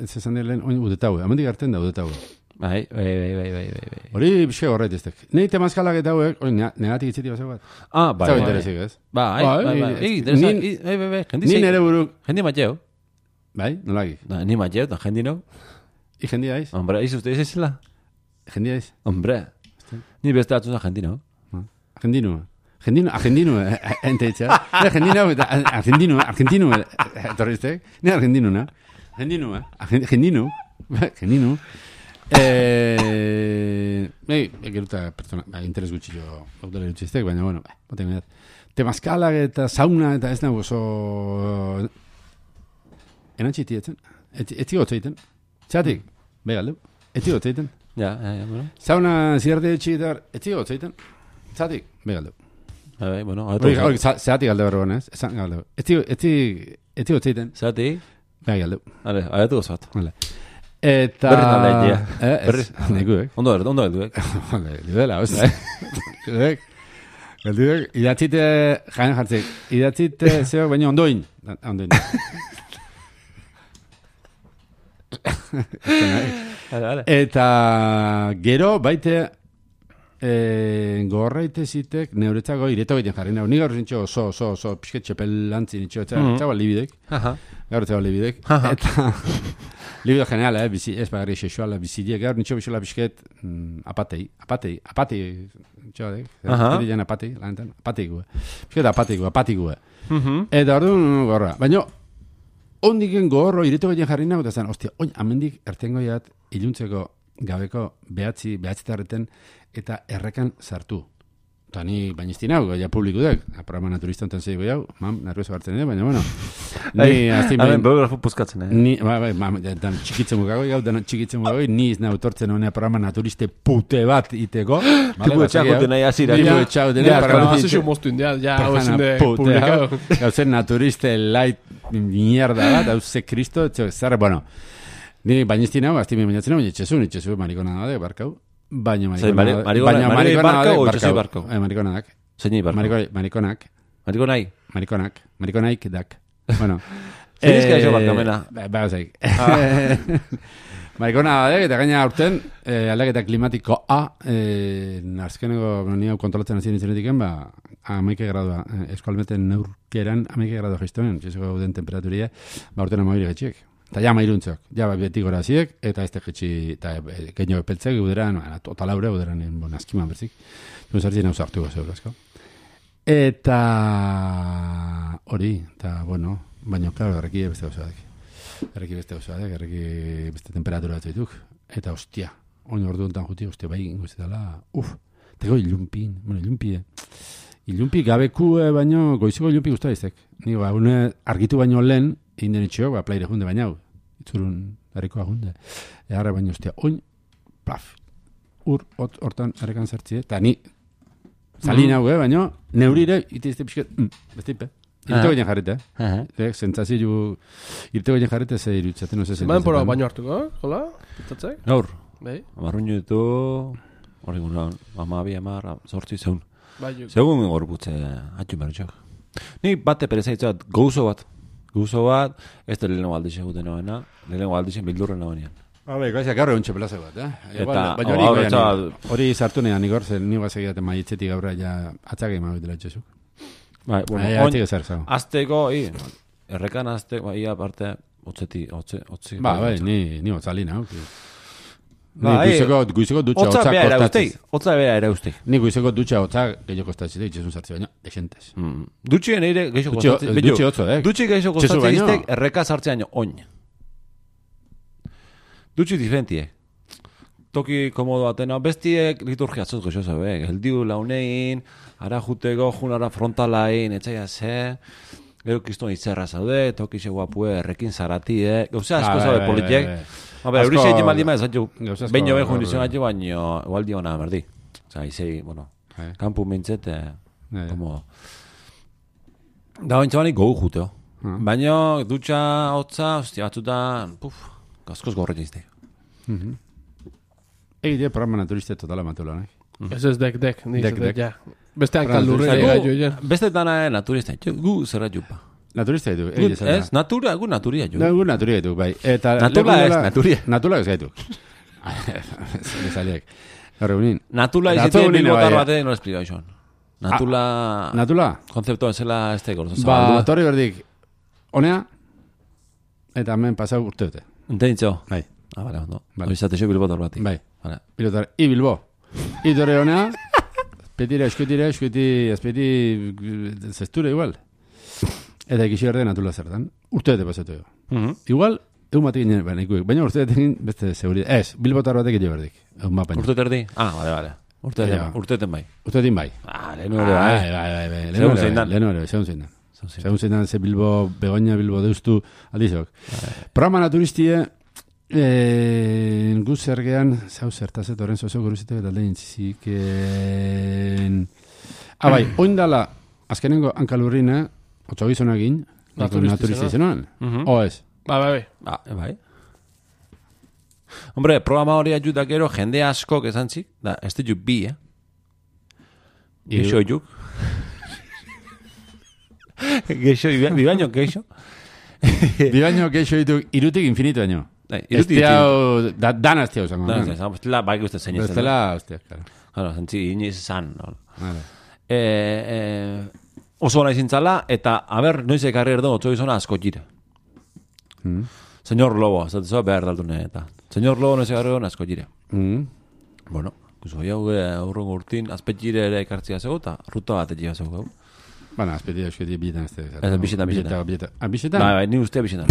zezan dira lehen, oin udetau, amendik hartzen da udetau. Bai. Hori biske horret eztek. Nei temazkalak eta hauek, hori negatik itziti basau bat. Bai. Zau interesik, ez? Bai. Ni nere buruk. Jendi matxeu. Bai, nolagi? Ni matxeu, eta jendi nou. I jendi aiz? Hombre, aiz uste izela? Jendi aiz? Hombre. Ni beste atzuna jendi nou. Argentino, ente itxa. Argentino, etorriztek. Ni argentino. Geruta pertsona, interes gutxillo gaudela dutxiztek, baina, bueno, temazkalak eta sauna eta ez nago oso... Enantxiti etzen? Etzi gotza egiten? Txatik? Begaldu. Etzi gotzeiten. Ja, bueno. Zauna zirarte txigitar, etzi gotzeiten. Zatik, begaldu. Bueno, hori, zeatik galde berro ez? Esan galde. Etzi gotzeiten. Zati? Begaldu. Vale, aiatu gozat. Vale. Eta... Berriz aldeitea. Berriz. Nekuek. Ondo helduek. Libela, oza. Galduek, idatzite, jaen jartzik, idatzite zeo, baina ondoin. Eta gero baite gorraite zitek neuretzako ireto egiten jarri nahu. Ni gaur zintxo oso pixket txepelantzin itxo, etxago libidek. Gaur etxago libidek. Eta libido general, ez bagarri sexuala bizidiek. Gaur nintxo bizola pixket apatei. Dian apatei, lanetan. Apatikue. Eta orduan gorra. Baina ondiken gorro ireto egiten jarri nahu, eta zen, ostia, oin, amendik ertengoiat iluntzeko gabeko behatzitarreten eta errekan sartu. Eta ni bainizti nahu, ja publikudek, programa naturista ontan zeigo jau, nervioso hartzen dira, baina, bueno. Ni, aztin bain... biografo puzkatzen, Ni, txikitzen mugago, ni iz nahu tortzen honea programa naturiste pute bat iteko. Tipu etxakute nahi azira. Tipu etxakute nahi. Programazizu moztu india, ja, hau ezin de publikado. Gauzen naturiste light mierda bat, hau ze kristo, zara, bueno, ni bainizti nahu, aztin bainatzen nahu, itxezu, marikona da, barkau. Baina marikonak. Zeini barko? Marikonaik dak. Bueno. Zerizka iso barkamena. Zaik. Marikona badek, eta gaina aurten, aldaketa klimatikoa, azkeneko nio kontrolatzen hasi nintzen ba, 11 gradua, eskualmeten neurkeran 11 gradua jiztonen, txezeko gauden temperaturia, ba, urten amairi getxiek. Eta ja mairuntzok, ja beti gora ziek, eta ez teketxi, eta genio epeltzek, uderan, totalaure, uderan, azkiman berzik. Zartzen hau zartu gozeu, asko. Eta hori, eta, bueno, baina, klaro, erreki beste gozadek. Erreki beste temperatura bat zaituk. Eta, ostia, oin ordu ontan juti, ostia, bai, ingozetala, tego ilumpi gabeku, baino, goizeko ilumpi guztua iztek. Ni, argitu baino lehen, egin denetxeok, plaire junde bainau. Itzurun harrikoa junde. Egarra baino, ostia, oin, plaf, hortan errekan zertzie, eta ni, zalin hau, baino, neurire, itizte pixket, bestipe. Irteko egin jarrite, Zentzazio, irteko egin jarrite, ze irutzaten, no se zentzazio. Baina pora baino hartuko, hola? Pitatzek? Gaur, amarrun ditu, hori guna, zortzi zeun. Segun gorputze, atxun barritxok. Ni bate perezaitzat, gauzo bat, ez da lehenengo aldizen guten noena, lehenengo aldizen bildurren noenean. Gaizak gaur egun txepelaze bat, Baina hori sartu nean igor, zen nigo azegidaten maitzetik gaurra ja atzak egin dela etxezuk. Azteko, errekan azteko, ia parte, otzi. Ni otzalina, Guizeko dutxa otza kostatziz. Otza bera ere uste. Ni guizeko dutxa otza gehiago kostatziz, itxezun sartzi baina, exentes. Dutxien eire gehiago kostatziz. Dutxe otzo, Dutxi gehiago kostatziz, erreka sartzean oin. Dutxi diferentie. Toki komodo atena, bestiek liturgiatzot goxoso, geldiu launein, ara juteko, junara frontalain, etxaia ze... Gero kiston itzerra zaude, toki xe guapue, errekin zarati, Gauza asko zaude politiek. Hori xe egin baldima ez, baino behar jundizion atu, baino gualdi hona berdi. Osa, izei, bueno, kampu mintzet, como... Da baintza bani gogu juteo. Baino, dutxa, hotza, ostia batzutan, askoz gorretin izte. Egite programa naturiste totala matula, Ez dek, ja. Beste hankaldurre gaio, ja. Beste dana naturista, gu zerra jupa. Naturista ditu, ez, gu naturia ju. Gu naturia ditu, bai. Natula ez, naturia. Natula ez gaitu. Zaliek. Natula izite bilbotar bate, no esplika ison. Natula? Konzeptua zela ez teko. Ba, torri berdik, honea, eta hemen pasau urte dute. Entenditzo? Bai. Bale, ondo. Oizatexo bilbotar bati. Bai. Bilbotar, Bilbo. Torri honea, Petira, eskuti, azpeti, zesture igual. Eta ikisi berde natula zertan. Urteete pasatu jo. Igual, egun batek ginen, baina urteete egin beste seguridad. Ez, Bilbotar batek egin berdik. Urteete erdi? Bale. Urteeten bai. Urteetin bai. Lehenu ere bai. Segun zein dan, ze Bilbo, Begoña, Bilbo deustu, aldizok. Programa naturistie, Gu zergean, zau zertazet, horren zozo guruzetek eta lehen ziken... Bai, oindala, azkenengo hankalurrina, otzo gizonagin, naturista izenoan. O ez? Bai. Hombre, programa hori ajuda gero, jende askok esan zik, da, ez ditu bi, Geixo juk. Geixo, bibaino geixo. Bibaino geixo ditu, irutik infinito baino. Ez tiau, dana ez tiau zango. Dana ez tiau, bestela baik uste zein ez. Bestela, hostia, claro. Claro, zentzi, iniz zan. Oso hona izintzala, eta, noiz ekarri erdo, otzo izona asko jire. Señor Lobo, ez dut behar daltune, eta. Señor Lobo noiz ekarri erdo, asko jire. Bueno, kuso, aurrengo urtin, azpet jire ere ekartzia zego, eta ruta bat egia zego. Baina, azpeti eusketi bietan ez da. Ez bisetan. Bisetan? Bai, ni ustea bisetan.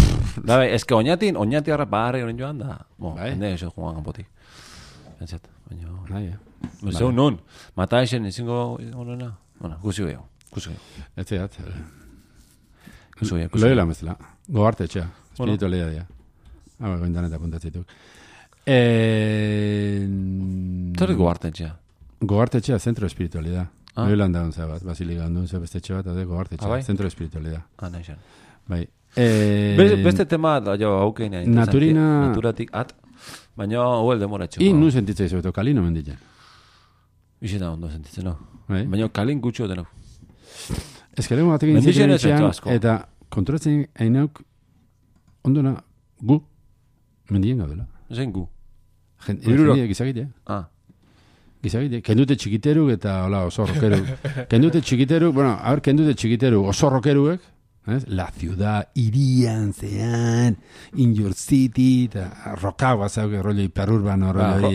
Ezke oñati harra pagarri horren joan da. Hende eso joan kanpotik. Entzat, baina... Zeu nun, mata esen izingo horrena. Bueno, guzio gehiago. Ez zehat. Guzio. Loela mezela. Gogarte etxea. Espiritualidad dia. Goindan eta puntatzituk. Zer gogarte etxea? Gogarte etxea, centro de espiritualidad. Loelan daun bat, basiliga handun, beste etxe bat, gogarte etxea, centro de espiritualidad. Naixan. Bai. Beste tema, haukein naturatik at, baina huel demoratxo. Nu sentitzei zebeto, kalino menditzen. Ixeta ondo sentitzen, no? Baina kalin gutxo denau. Ez que lego batekin zitzen etxean, eta kontrolatzen hainauk ondona gu mendien gaudela. Zein gu? Jende gizagitea. Gizagite, kendute txikiteruk eta hola, oso rokeruk. Kendute txikiteruk, oso rokeruek, la ciudad, irian, zean, in your city, eta rokagoa zauke, rollo hiperurbano, rollo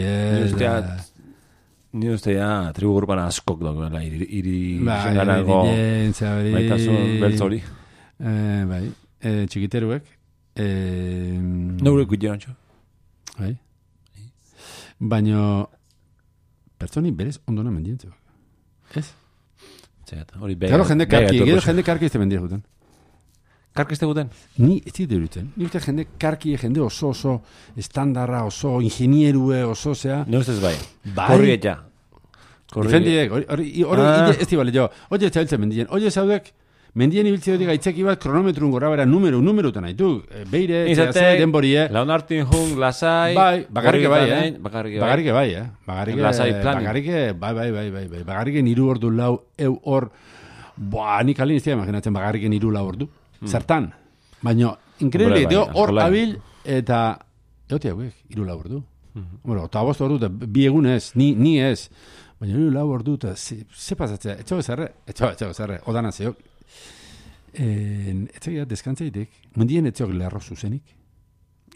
Ni ustea, tribu urbana askok dagoela, iri zenarago, maitasun beltzori. Bai, txikiteruek. Neurek guitean txo. Bai. Baina... Pertsoni berez ondona mendientzak. Ez? Hori Claro, jende karki ez te mendia guten. Karki ez te guten? Ni ez dit derutzen. Ni uste jende karki, jende oso estandarra, oso ingenierue, oso zea. No ustez bai. Korrieta. Difendiek, hori ez dibale jo. Oie zabiltzen mendien. Oie zaudek, mendien ibiltze dut gaitzeki bat kronometrun gora bera numerutan haitu. Beire, txea denborie. Launartin jung, lasai. Bai, bakarrike bai, Bakarrike bai, lasai planin. Bakarrike niru ordu lau, hor, nik alin iztia imaginatzen bakarrike niru lau ordu. Zertan. Baina, increíble, hor abil, eta, egotia hauek, iru lau ordu. Bueno, eta bost ordu, bi egun ez, ni ez. Baina iru lau ordu, eta ze pasatzea, etxo bezarre, odana zeok. Etxegia deskantzaitek, mendien etxeok lerro zuzenik.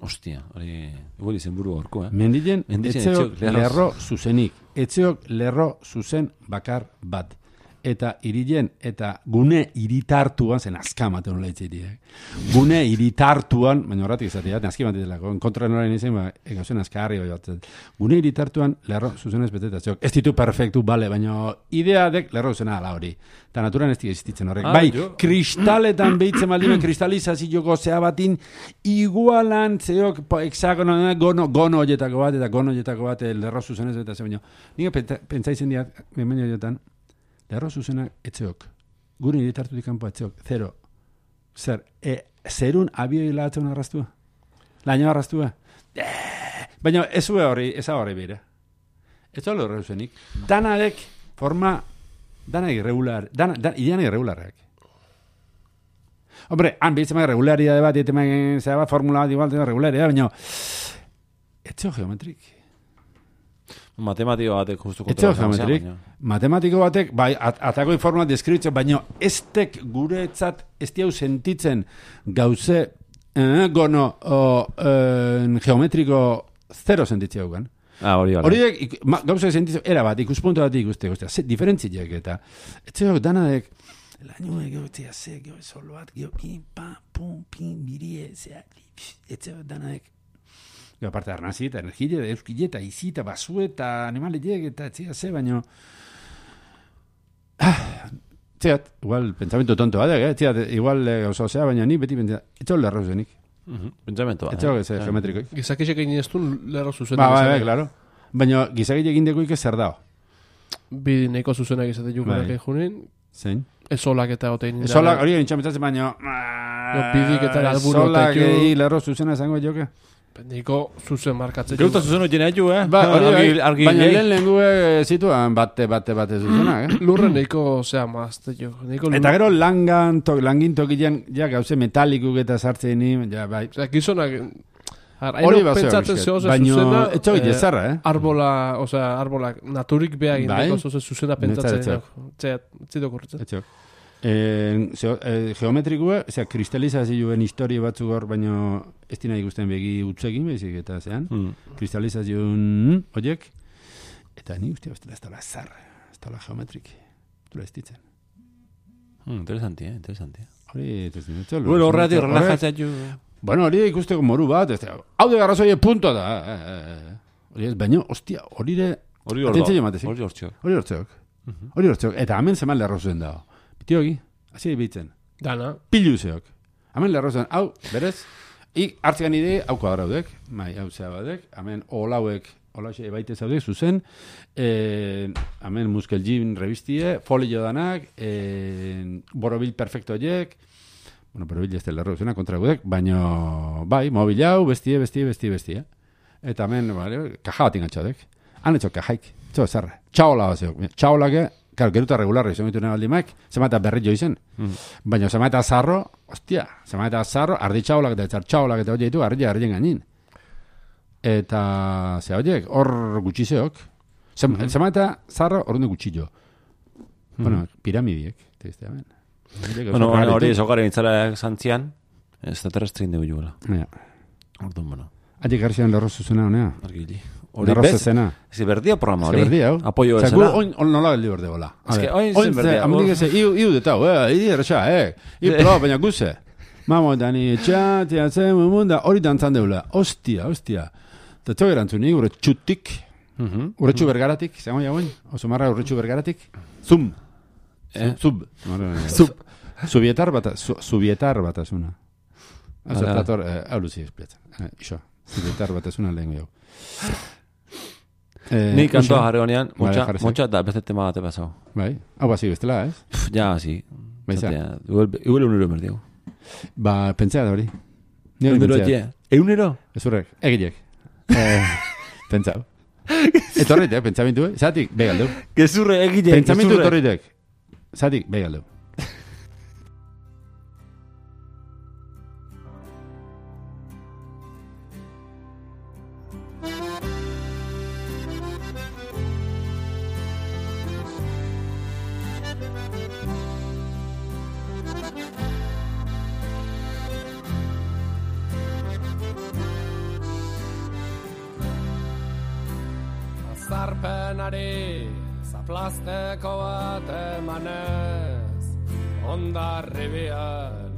Ostia, hori, igual izen buru horko, Mendien etxeok lerro zuzenik. Etxeok lerro zuzen bakar bat. Eta irilen, eta gune iritartuan, zen azkamate honola itxeitiak. Gune iritartuan, baina horretik izatea, azkamate delako, kontra norain izan, egauzen azkarri bai batzen. Gune iritartuan, lerro zuzenez betetazioak. Ez ditu perfektu, bale, baina ideadek lerro zuzena ala hori. Eta naturan ez existitzen horrek. Bai, kristaletan behitzen baldime, kristalizazioko zea batin, igualan, zeok, hexagono, gono horietako bat, lerro zuzenez betetazio, baina. Nik pentsaizen diat, behin horietan, lerro zuzenak etzeok. Gure iritartutik kanpo etzeok. Zero. Zer, zerun abio hilatzen arrastua? Laino arrastua? Baina ez hori bere. Ez hori horre zuzenik. Danarek forma, danak irregularrak. Hombre, han bihitzen maga regularidade bat, zera bat, formula bat, igual, regularidade, baina etzeo geometrik. Matematiko batek justu kontra. Matematiko batek, bai, atako informa deskribitzen, baina estek guretzat ez diau sentitzen gauze gono geometriko zero sentitzea gugan. Horiek gauze sentitzen, era bat, ikuspunto bat ikuste, diferentziak eta etxeok danadek lainoek gautzea ze, gau solo bat, gau pin, pum, pin, birie, zea, etxeok danadek aparte arnazi eta energia, euskile eta izi eta basue eta animaliek eta etxea ze, baina txeat, igual pensamiento tonto batek, txeat, igual gauzau zea, baina ni beti pentsa, etxo lerro zenik. Pentsamento bat. Etxego ez, geometrikoik. Gizakisek egin ez du lerro zuzena. Ba, claro. Baina gizakik egin dekoik zer dao. Bi neko zuzenak izate jukunak egin junin. Zein? Esolak eta otein. Esolak hori egin txametzatzen, baina... Bidik eta alburu esolak egin lerro zuzena zango joke. Niko zuzen markatzen. Geuta zuzen hori nahi baina lehen zituan bate zuzenak, Lurren niko, mazte jo. Eta gero langin tokilean, ja, gauze metalikuk eta sartzen ni, ja, bai. Gizonak... Hori pentsatzen zehoz zuzena... Etxo gile zarra, Arbola naturik behagin deko zuzena pentsatzen. Zito korritzen. Etxo. Geometrikua, kristalizazioen historia batzuk hor, baina ez dina ikusten begi utzekin, bezik eta zean. Kristalizazioen horiek. Eta ni uste ez dela zarra, ez dela geometrik. Dura ez ditzen. Interesanti. Hori, bueno, horretik relajatzea ju... Bueno, hori ikusteko moru bat, hau de garrazoie punto da. Hori ez, baina, ostia, hori de... Hori hortzeok. Eta hemen zeman lerrozen dago. Bitiogi, hasi bitzen. Dana. Piluzeok. Hemen lerrozen, hau, berez, hartzean ide, hau kuadraudek, hau zea badek, hemen olauek, olaxe baite zaudek, zuzen, hemen Muskel Jim revistie, folio danak, borobil perfecto horiek, bueno, borobil ez dela lerrozena kontra gudek, baina, bai, mobil hau, bestie. Eta hemen, kaja bat ingatxadek. Han etxo kajaik, etxo zarra. Txaola bat zeok. Txaolake, geruta regularra izan ditu nebaldi maik, zemata berri jo izen. Baina zemata zarro, ostia, ardi txaolak eta etxar txaolak eta hori ditu, ardi gainin. Eta, ze horiek, hor gutxizeok. Zemata zarro, hor gutxi jo. Bueno, piramidiek. Bueno, hori zogaren itzara zantzian, ez da terrestrin dugu juela. Orduan, bueno. Atik garzian lerro zuzena honea. Argili. Lerro zuzena. Ez berdia programa hori. Ez berdia, hau. Apoio ezena. Oin nola beldi berde bola. Ez que oin zen berdia. Amenik eze, iu detau, errexa, proba, baina guze. Mamo, dani, txatia, munda, hori dantzan deula. Ostia. Eta txok erantzuni, gure txutik, urretxu bergaratik, zango jagoen, oso marra urretxu bergaratik, Subietar batasuna. Azertator, hau luzi espliatzen. Iso, subietar batasuna lehen jau. Ni kantoa jarri honean, motxa eta beste tema bate pasau. Bai, hau basi bestela, ez? Ja, sí. Igual unero merdiu. Ba, pentsea da hori. Eunero? Ez horrek, egilek. Pentsau. Etorrit, pentsamentu, zatik, begaldeu. Gezurre, egilek. Pentsamentu etorritek. Zatik, begaldeu. Zarpenari zaplazteko bat emanez ondarribian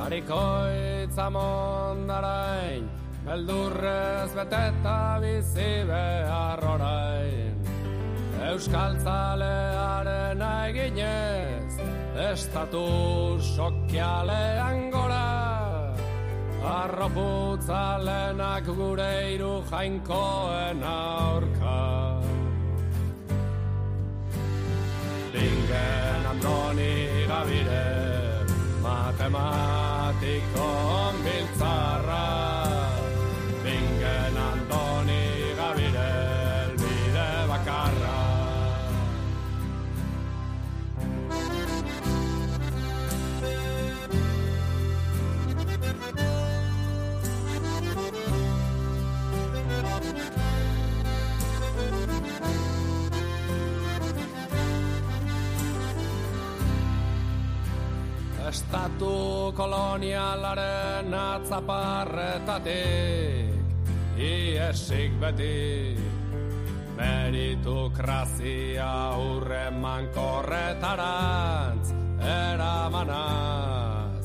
harikoitza mondarain beldurrez beteta bizi behar orain Euskal Zalearen eginez estatu sokialean gora Arroputzalenak gure hiru jainkoen aurka Lingen Andoni Gabire Matematiko biltzarra Lingen Andoni Gabire elbide bakarra Estatu kolonialaren atzaparretatik iesik beti meritokrazia hurreman korretarantz eramanaz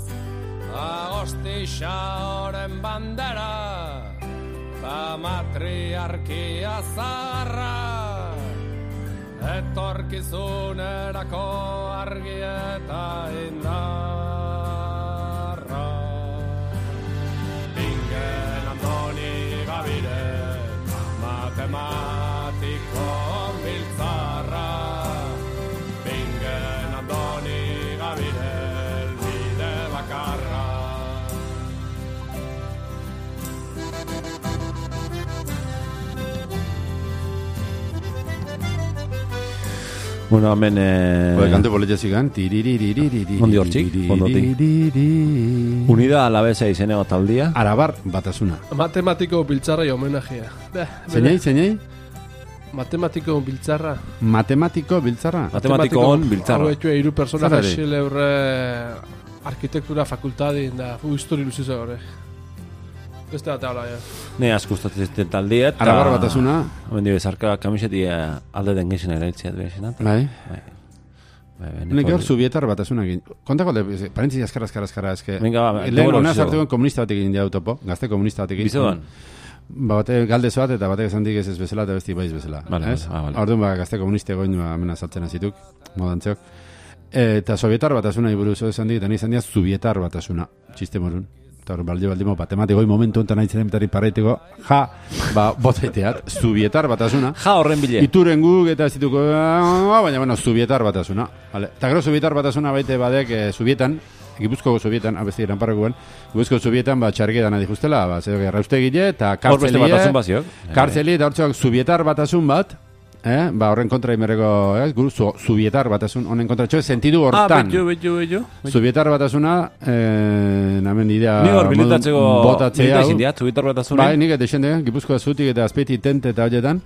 Agostixa oren bandera ta matriarkia zarra etorkizunerako argi eta indarra Bueno, hemen... Kante politxezikan. Ondi hortzik, ondotik. Unida Alavesa izeneko taldia. Arabar batasuna. Matematiko biltzarra y homenajea. Zeinei? Matematiko biltzarra. Matematiko biltzarra? Matematiko on biltzarra. Hau etxue, hiru persona Zerari? jasile horre arkitektura fakultadin da, histori luziza horre. Beste bat habla, ja. Ne asko gustatzen ziten taldiet. Arabar batasuna. Hemen bezarka kamiseti alde den gizena eraitziat behizena. Bai. Nik gaur subietar batasuna egin. Kontako, parentzi azkara, eske. Venga, ba, lehen hona sartuko komunista bat egin jau topo, gazte komunista bat egin. Bizoan. Bate galdezo bat eta batek esan dik ez bezala eta besti baiz bezala. Vale. Orduan gazte komuniste goin amena saltzen hazituk, modantzeok. Eta sovietar batasuna iburuz esan dik, eta izan dira subietar batasuna, txiste morun. Eta hor baldimo, matematiko momentu enten nahi zeren paraiteko, botaiteat, subietar batasuna. Horren bile. Ituren guk eta ez dituko, baina, bueno, subietar batasuna. Vale. Eta gero subietar batasuna baite badek subietan, Gipuzkoko subietan, abesti eran parrakuan, Gipuzkoko subietan, subietan adijustela, zedok erraustegile, eta kartzelie, eta hortzuak subietar batasun bat, horren kontra imerreko, subietar batasun, honen kontra txoe, sentidu hortan. Betu. Subietar batasuna, namen idea, Ni hor bilitatzeko botatzea. Subietar batasuna. Bai, nik etexende, Gipuzkoa zutik eta azpeiti tente eta horietan.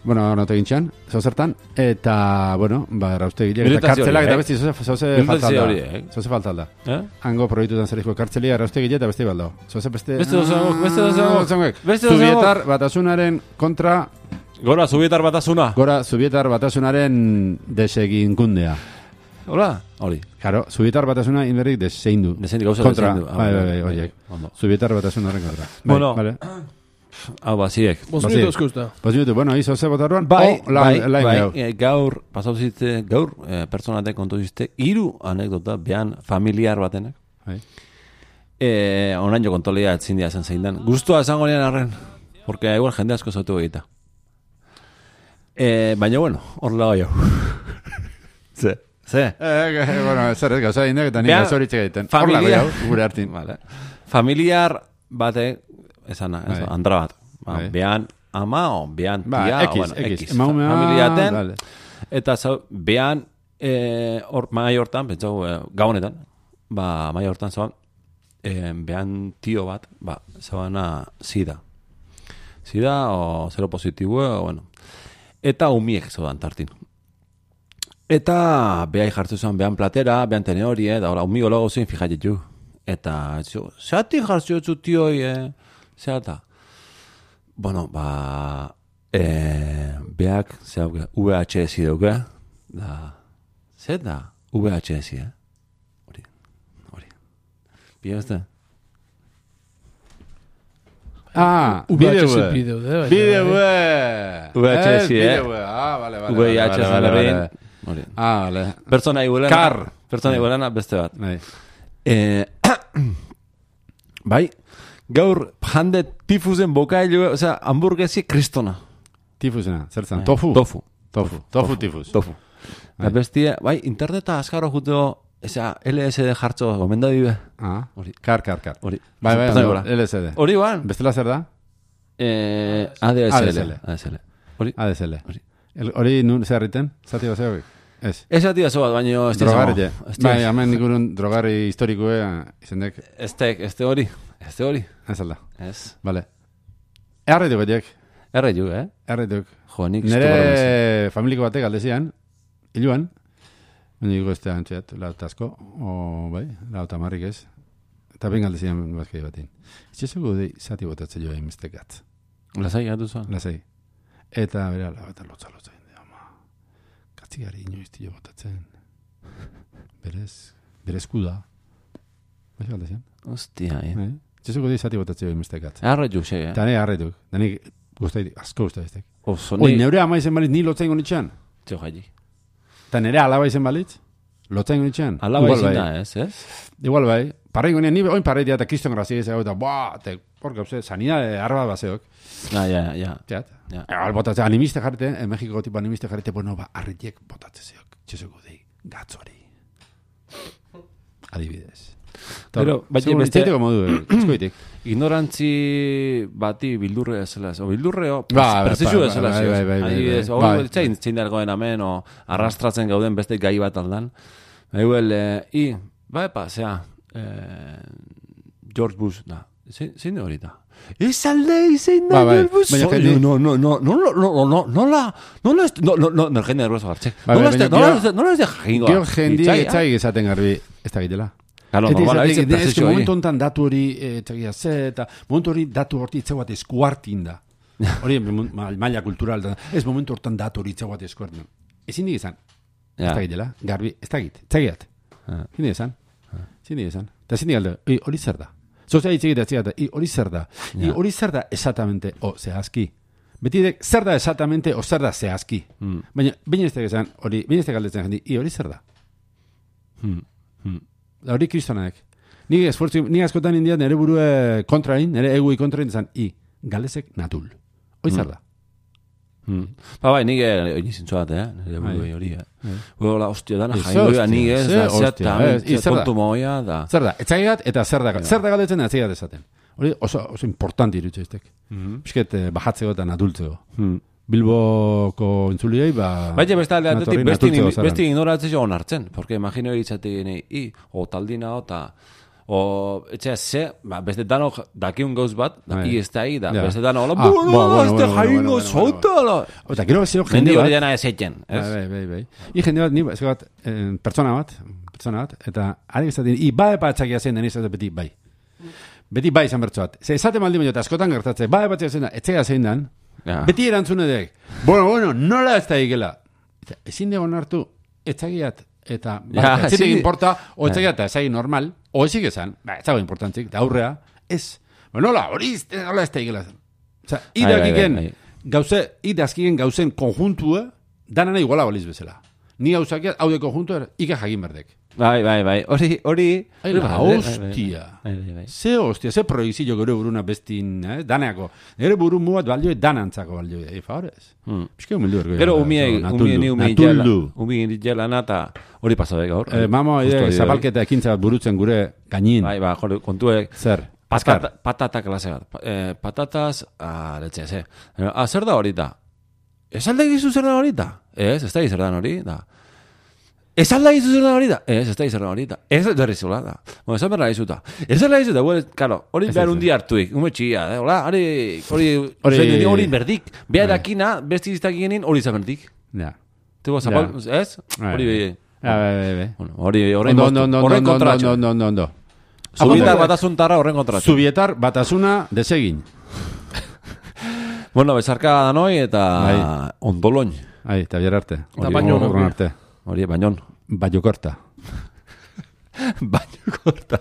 Bueno, no te gintxan, zozertan, eta, bueno, erraustegile, eta kartzelak, eta besti, zoze faltalda. Hango proiektutan zerrizko kartzelia, erraustegile, eta besti baldo. Zoze beste... Subietar batasunaren kontra... Gora, subietar batasuna. Gora, subietar batasunaren deseginkundea. Hola? Hori. Claro, subietar batasuna inberrik deseindu. Deseindu, gauza deseindu. Bai, horiek. Subietar batasunaren kontra. Bueno, vale. Hau, baziek. 5 minutos kusta. 5 minutos, bueno, izo ze botarroan. Bai, gaur, pasau zite, gaur, personatek kontu ziste, 3 anekdota, behan familiar batenak. Bai. Onain jo kontolea etzin dia zen zein dan. Guztua esango nian arren, porque igual jende asko zautu egita. Baina, bueno, hor lago jau. Ze? Bueno, zer ez gauza indek, eta nik gauzoritxe egiten. Hor lago jau, gure hartin. Familiar batek, esana, andra bat. Behan ama o behan tia, X. Familiaten, eta behan mai hortan, pentsau, gaunetan, mai hortan zauan, behan tio bat, zauana sida. Sida o zero positibo, bueno. Eta umiek zaudan tartin. Eta behai jartu zuen behan platera, behan teneorie, da hola, umigo logo zein fijatetu. Eta, zeatik jartu zu tioi, zeata. Bueno, behak, zeauk, VHS dauke, da, zet da, VHS, Hori. Biazte? VHS. Vale. Pertsona iguelana beste bat. Bai, gaur jande tifuzen bokailu, osea, hamburguesi kristona. Tifusena, zertzen? Tofu tifus. Tofu. Bestia, bai, interneta azkaro juteo, esa LSD jartzo gomenda dibe. Kar. Hori. Bai, LSD. Hori ban. Bestela zer da? ADSL. Hori. ADSL. Hori nun zerriten? Zati bat zegoik? Ez. Ez zati bat zegoik, baina ez drogarri. Bai, hemen nikurun drogarri historikoe izendek. Este hori. Ez alda. Ez. Vale. Erretuk betiek. Erretuk. Jo, nik nere familiko batek aldezian, iluan, niko ez da antxeat, lautazko, lauta marrik ez, eta ben aldezian bazkei batin. Itxezuko dei zati botatzen joa imestekat. Lasai gatu zuen? Lasai. Eta bera, eta lotza, katzigari inoizti jo botatzen. Berezku da. Baina aldezian? Ostia, Itxezuko dei zati botatzen joa imestekat. Arretuk, xe, Eta ne arretuk. Da nik asko guztaitek. Oi, neure ama izen balitz ni lotzain gonitxan. Tio jaili. Eta nere alaba izen balitz? Lotzain gonitxan. Alaba izen da, ez? Igual bai. Parrein gonean, ni oin parreitia eta kriston grazia izan, eta hor gauze, sanidade arba baseok. Ja. Teat. Botatzen, animiste jarrete, Mexiko tipo animiste jarrete, bueno, arritiek botatzen zeok. Txezuko dei, gatzori. Adibidez. Pero, baina beste... Itzaiteko modu, eskoitik. Ignorantzi bati bildurre ezela. O bildurreo, Ba, presizu ezela. bai. Zein dargoen amen, o arrastratzen gauden beste gai bat aldan. George Bush, da. Zein hori da? Ez alde zein da George Bush? Jende nervioso gartxek. Nola ez de jakingoa. Gero jendiek etxaik esaten garbi, ez da gitela. Claro, normal, ez que momentu honetan datu hori etxakia ze, eta momentu hori datu horti itzauat eskuartin da. Hori maila kultural da. Ez momentu hortan datu hori itzauat eskuartin. Ezin dik izan. Ez da gitela, garbi, ez da git, etxakiat. Ezin dik izan. Eta ezin dik alde, hori zer da. Zozea itxegita etxegata, hori zer da. Hori zer da exactamente, zehazki. Betidek, zer da exactamente, zer da zehazki. Baina, baina ez da gizan, baina ez da galdetzen jendi, hori zer da. Da hori kristonaek. Ni askotan indiat nire burue kontrain, nire egui kontrain izan, galdezek natul. Hori zer da. Bai, nik egin zintzu bat, nire burue hori. Hola, ostia, dana jaingoia nik ez, da zeat kontu moia, da. Zer da, etxaigat eta zer da galdetzen etxaigat esaten. Hori oso importanti irutxe iztek. Pisket bajatzeko eta natultzeko. Bilboko entzuliei, baina beste ignoratzea onartzen, porque imagino egitzatik o taldina o etxea ze, beste dano dakiun gauz bat, ez da beste dano, ez da jaingo zota, eta gero bezio jende hori dena ezeiten. Bai. Jende bat, pertsona bat, eta ari esaten, epa etxakia zen, deniz beti bai. Beti bai izan bertzoat. Ze esate maldi baino, eta askotan gertatzen, epa etxakia zen da, etxea zein dan, beti erantzune dek, bueno, nola ez da ikela. Ezin dugu nartu, etxakiat, eta etxetik importa, o etxakiat eta ezagin normal, o ezik esan, ez dago importantzik, da aurrea, ez, nola, hori nola ez da ikela. Osa, idazkigen gauzen konjuntua, danana iguala baliz bezala. Ni gauzakiat, hau de konjuntua, ike jagin berdek. Bai, hori... Hostia. Ze hostia, ze proizillo gure buruna bestin, daneako. Gure buru muat balioe danantzako balioe. Favorez. Piske humildu ergoi. Gero umien dijelana eta hori pasadek gaur. Mamo, zapalketa ekintza bat burutzen gure gainin. Bai, kontuek. Zer? Patata klase bat. Patatas, letxe, ze. Zer da horita? Ez alde gizu zer da horita? Ez da gizu zer da hori, da. Ez alda izu zer da hori da? Ez da izu zer da hori da. Ez da derrizula da. Bueno, esan berra izuta. Ez da izuta, claro, hori behar undi hartuik. Ume txia, hola, hori berdik. Beha dakina, besti iztakienin, hori izan berdik. Ja. Tego zapal, ez? Hori behi. Hori horren kontratxo. Ondo. Zubietar batasuntarra horren kontratxo. Zubietar batasuna desegin. Bueno, bezarka danoi eta ondoloin. Eta bier arte. Eta baino Hori, bañón. Baño corta. Baño corta.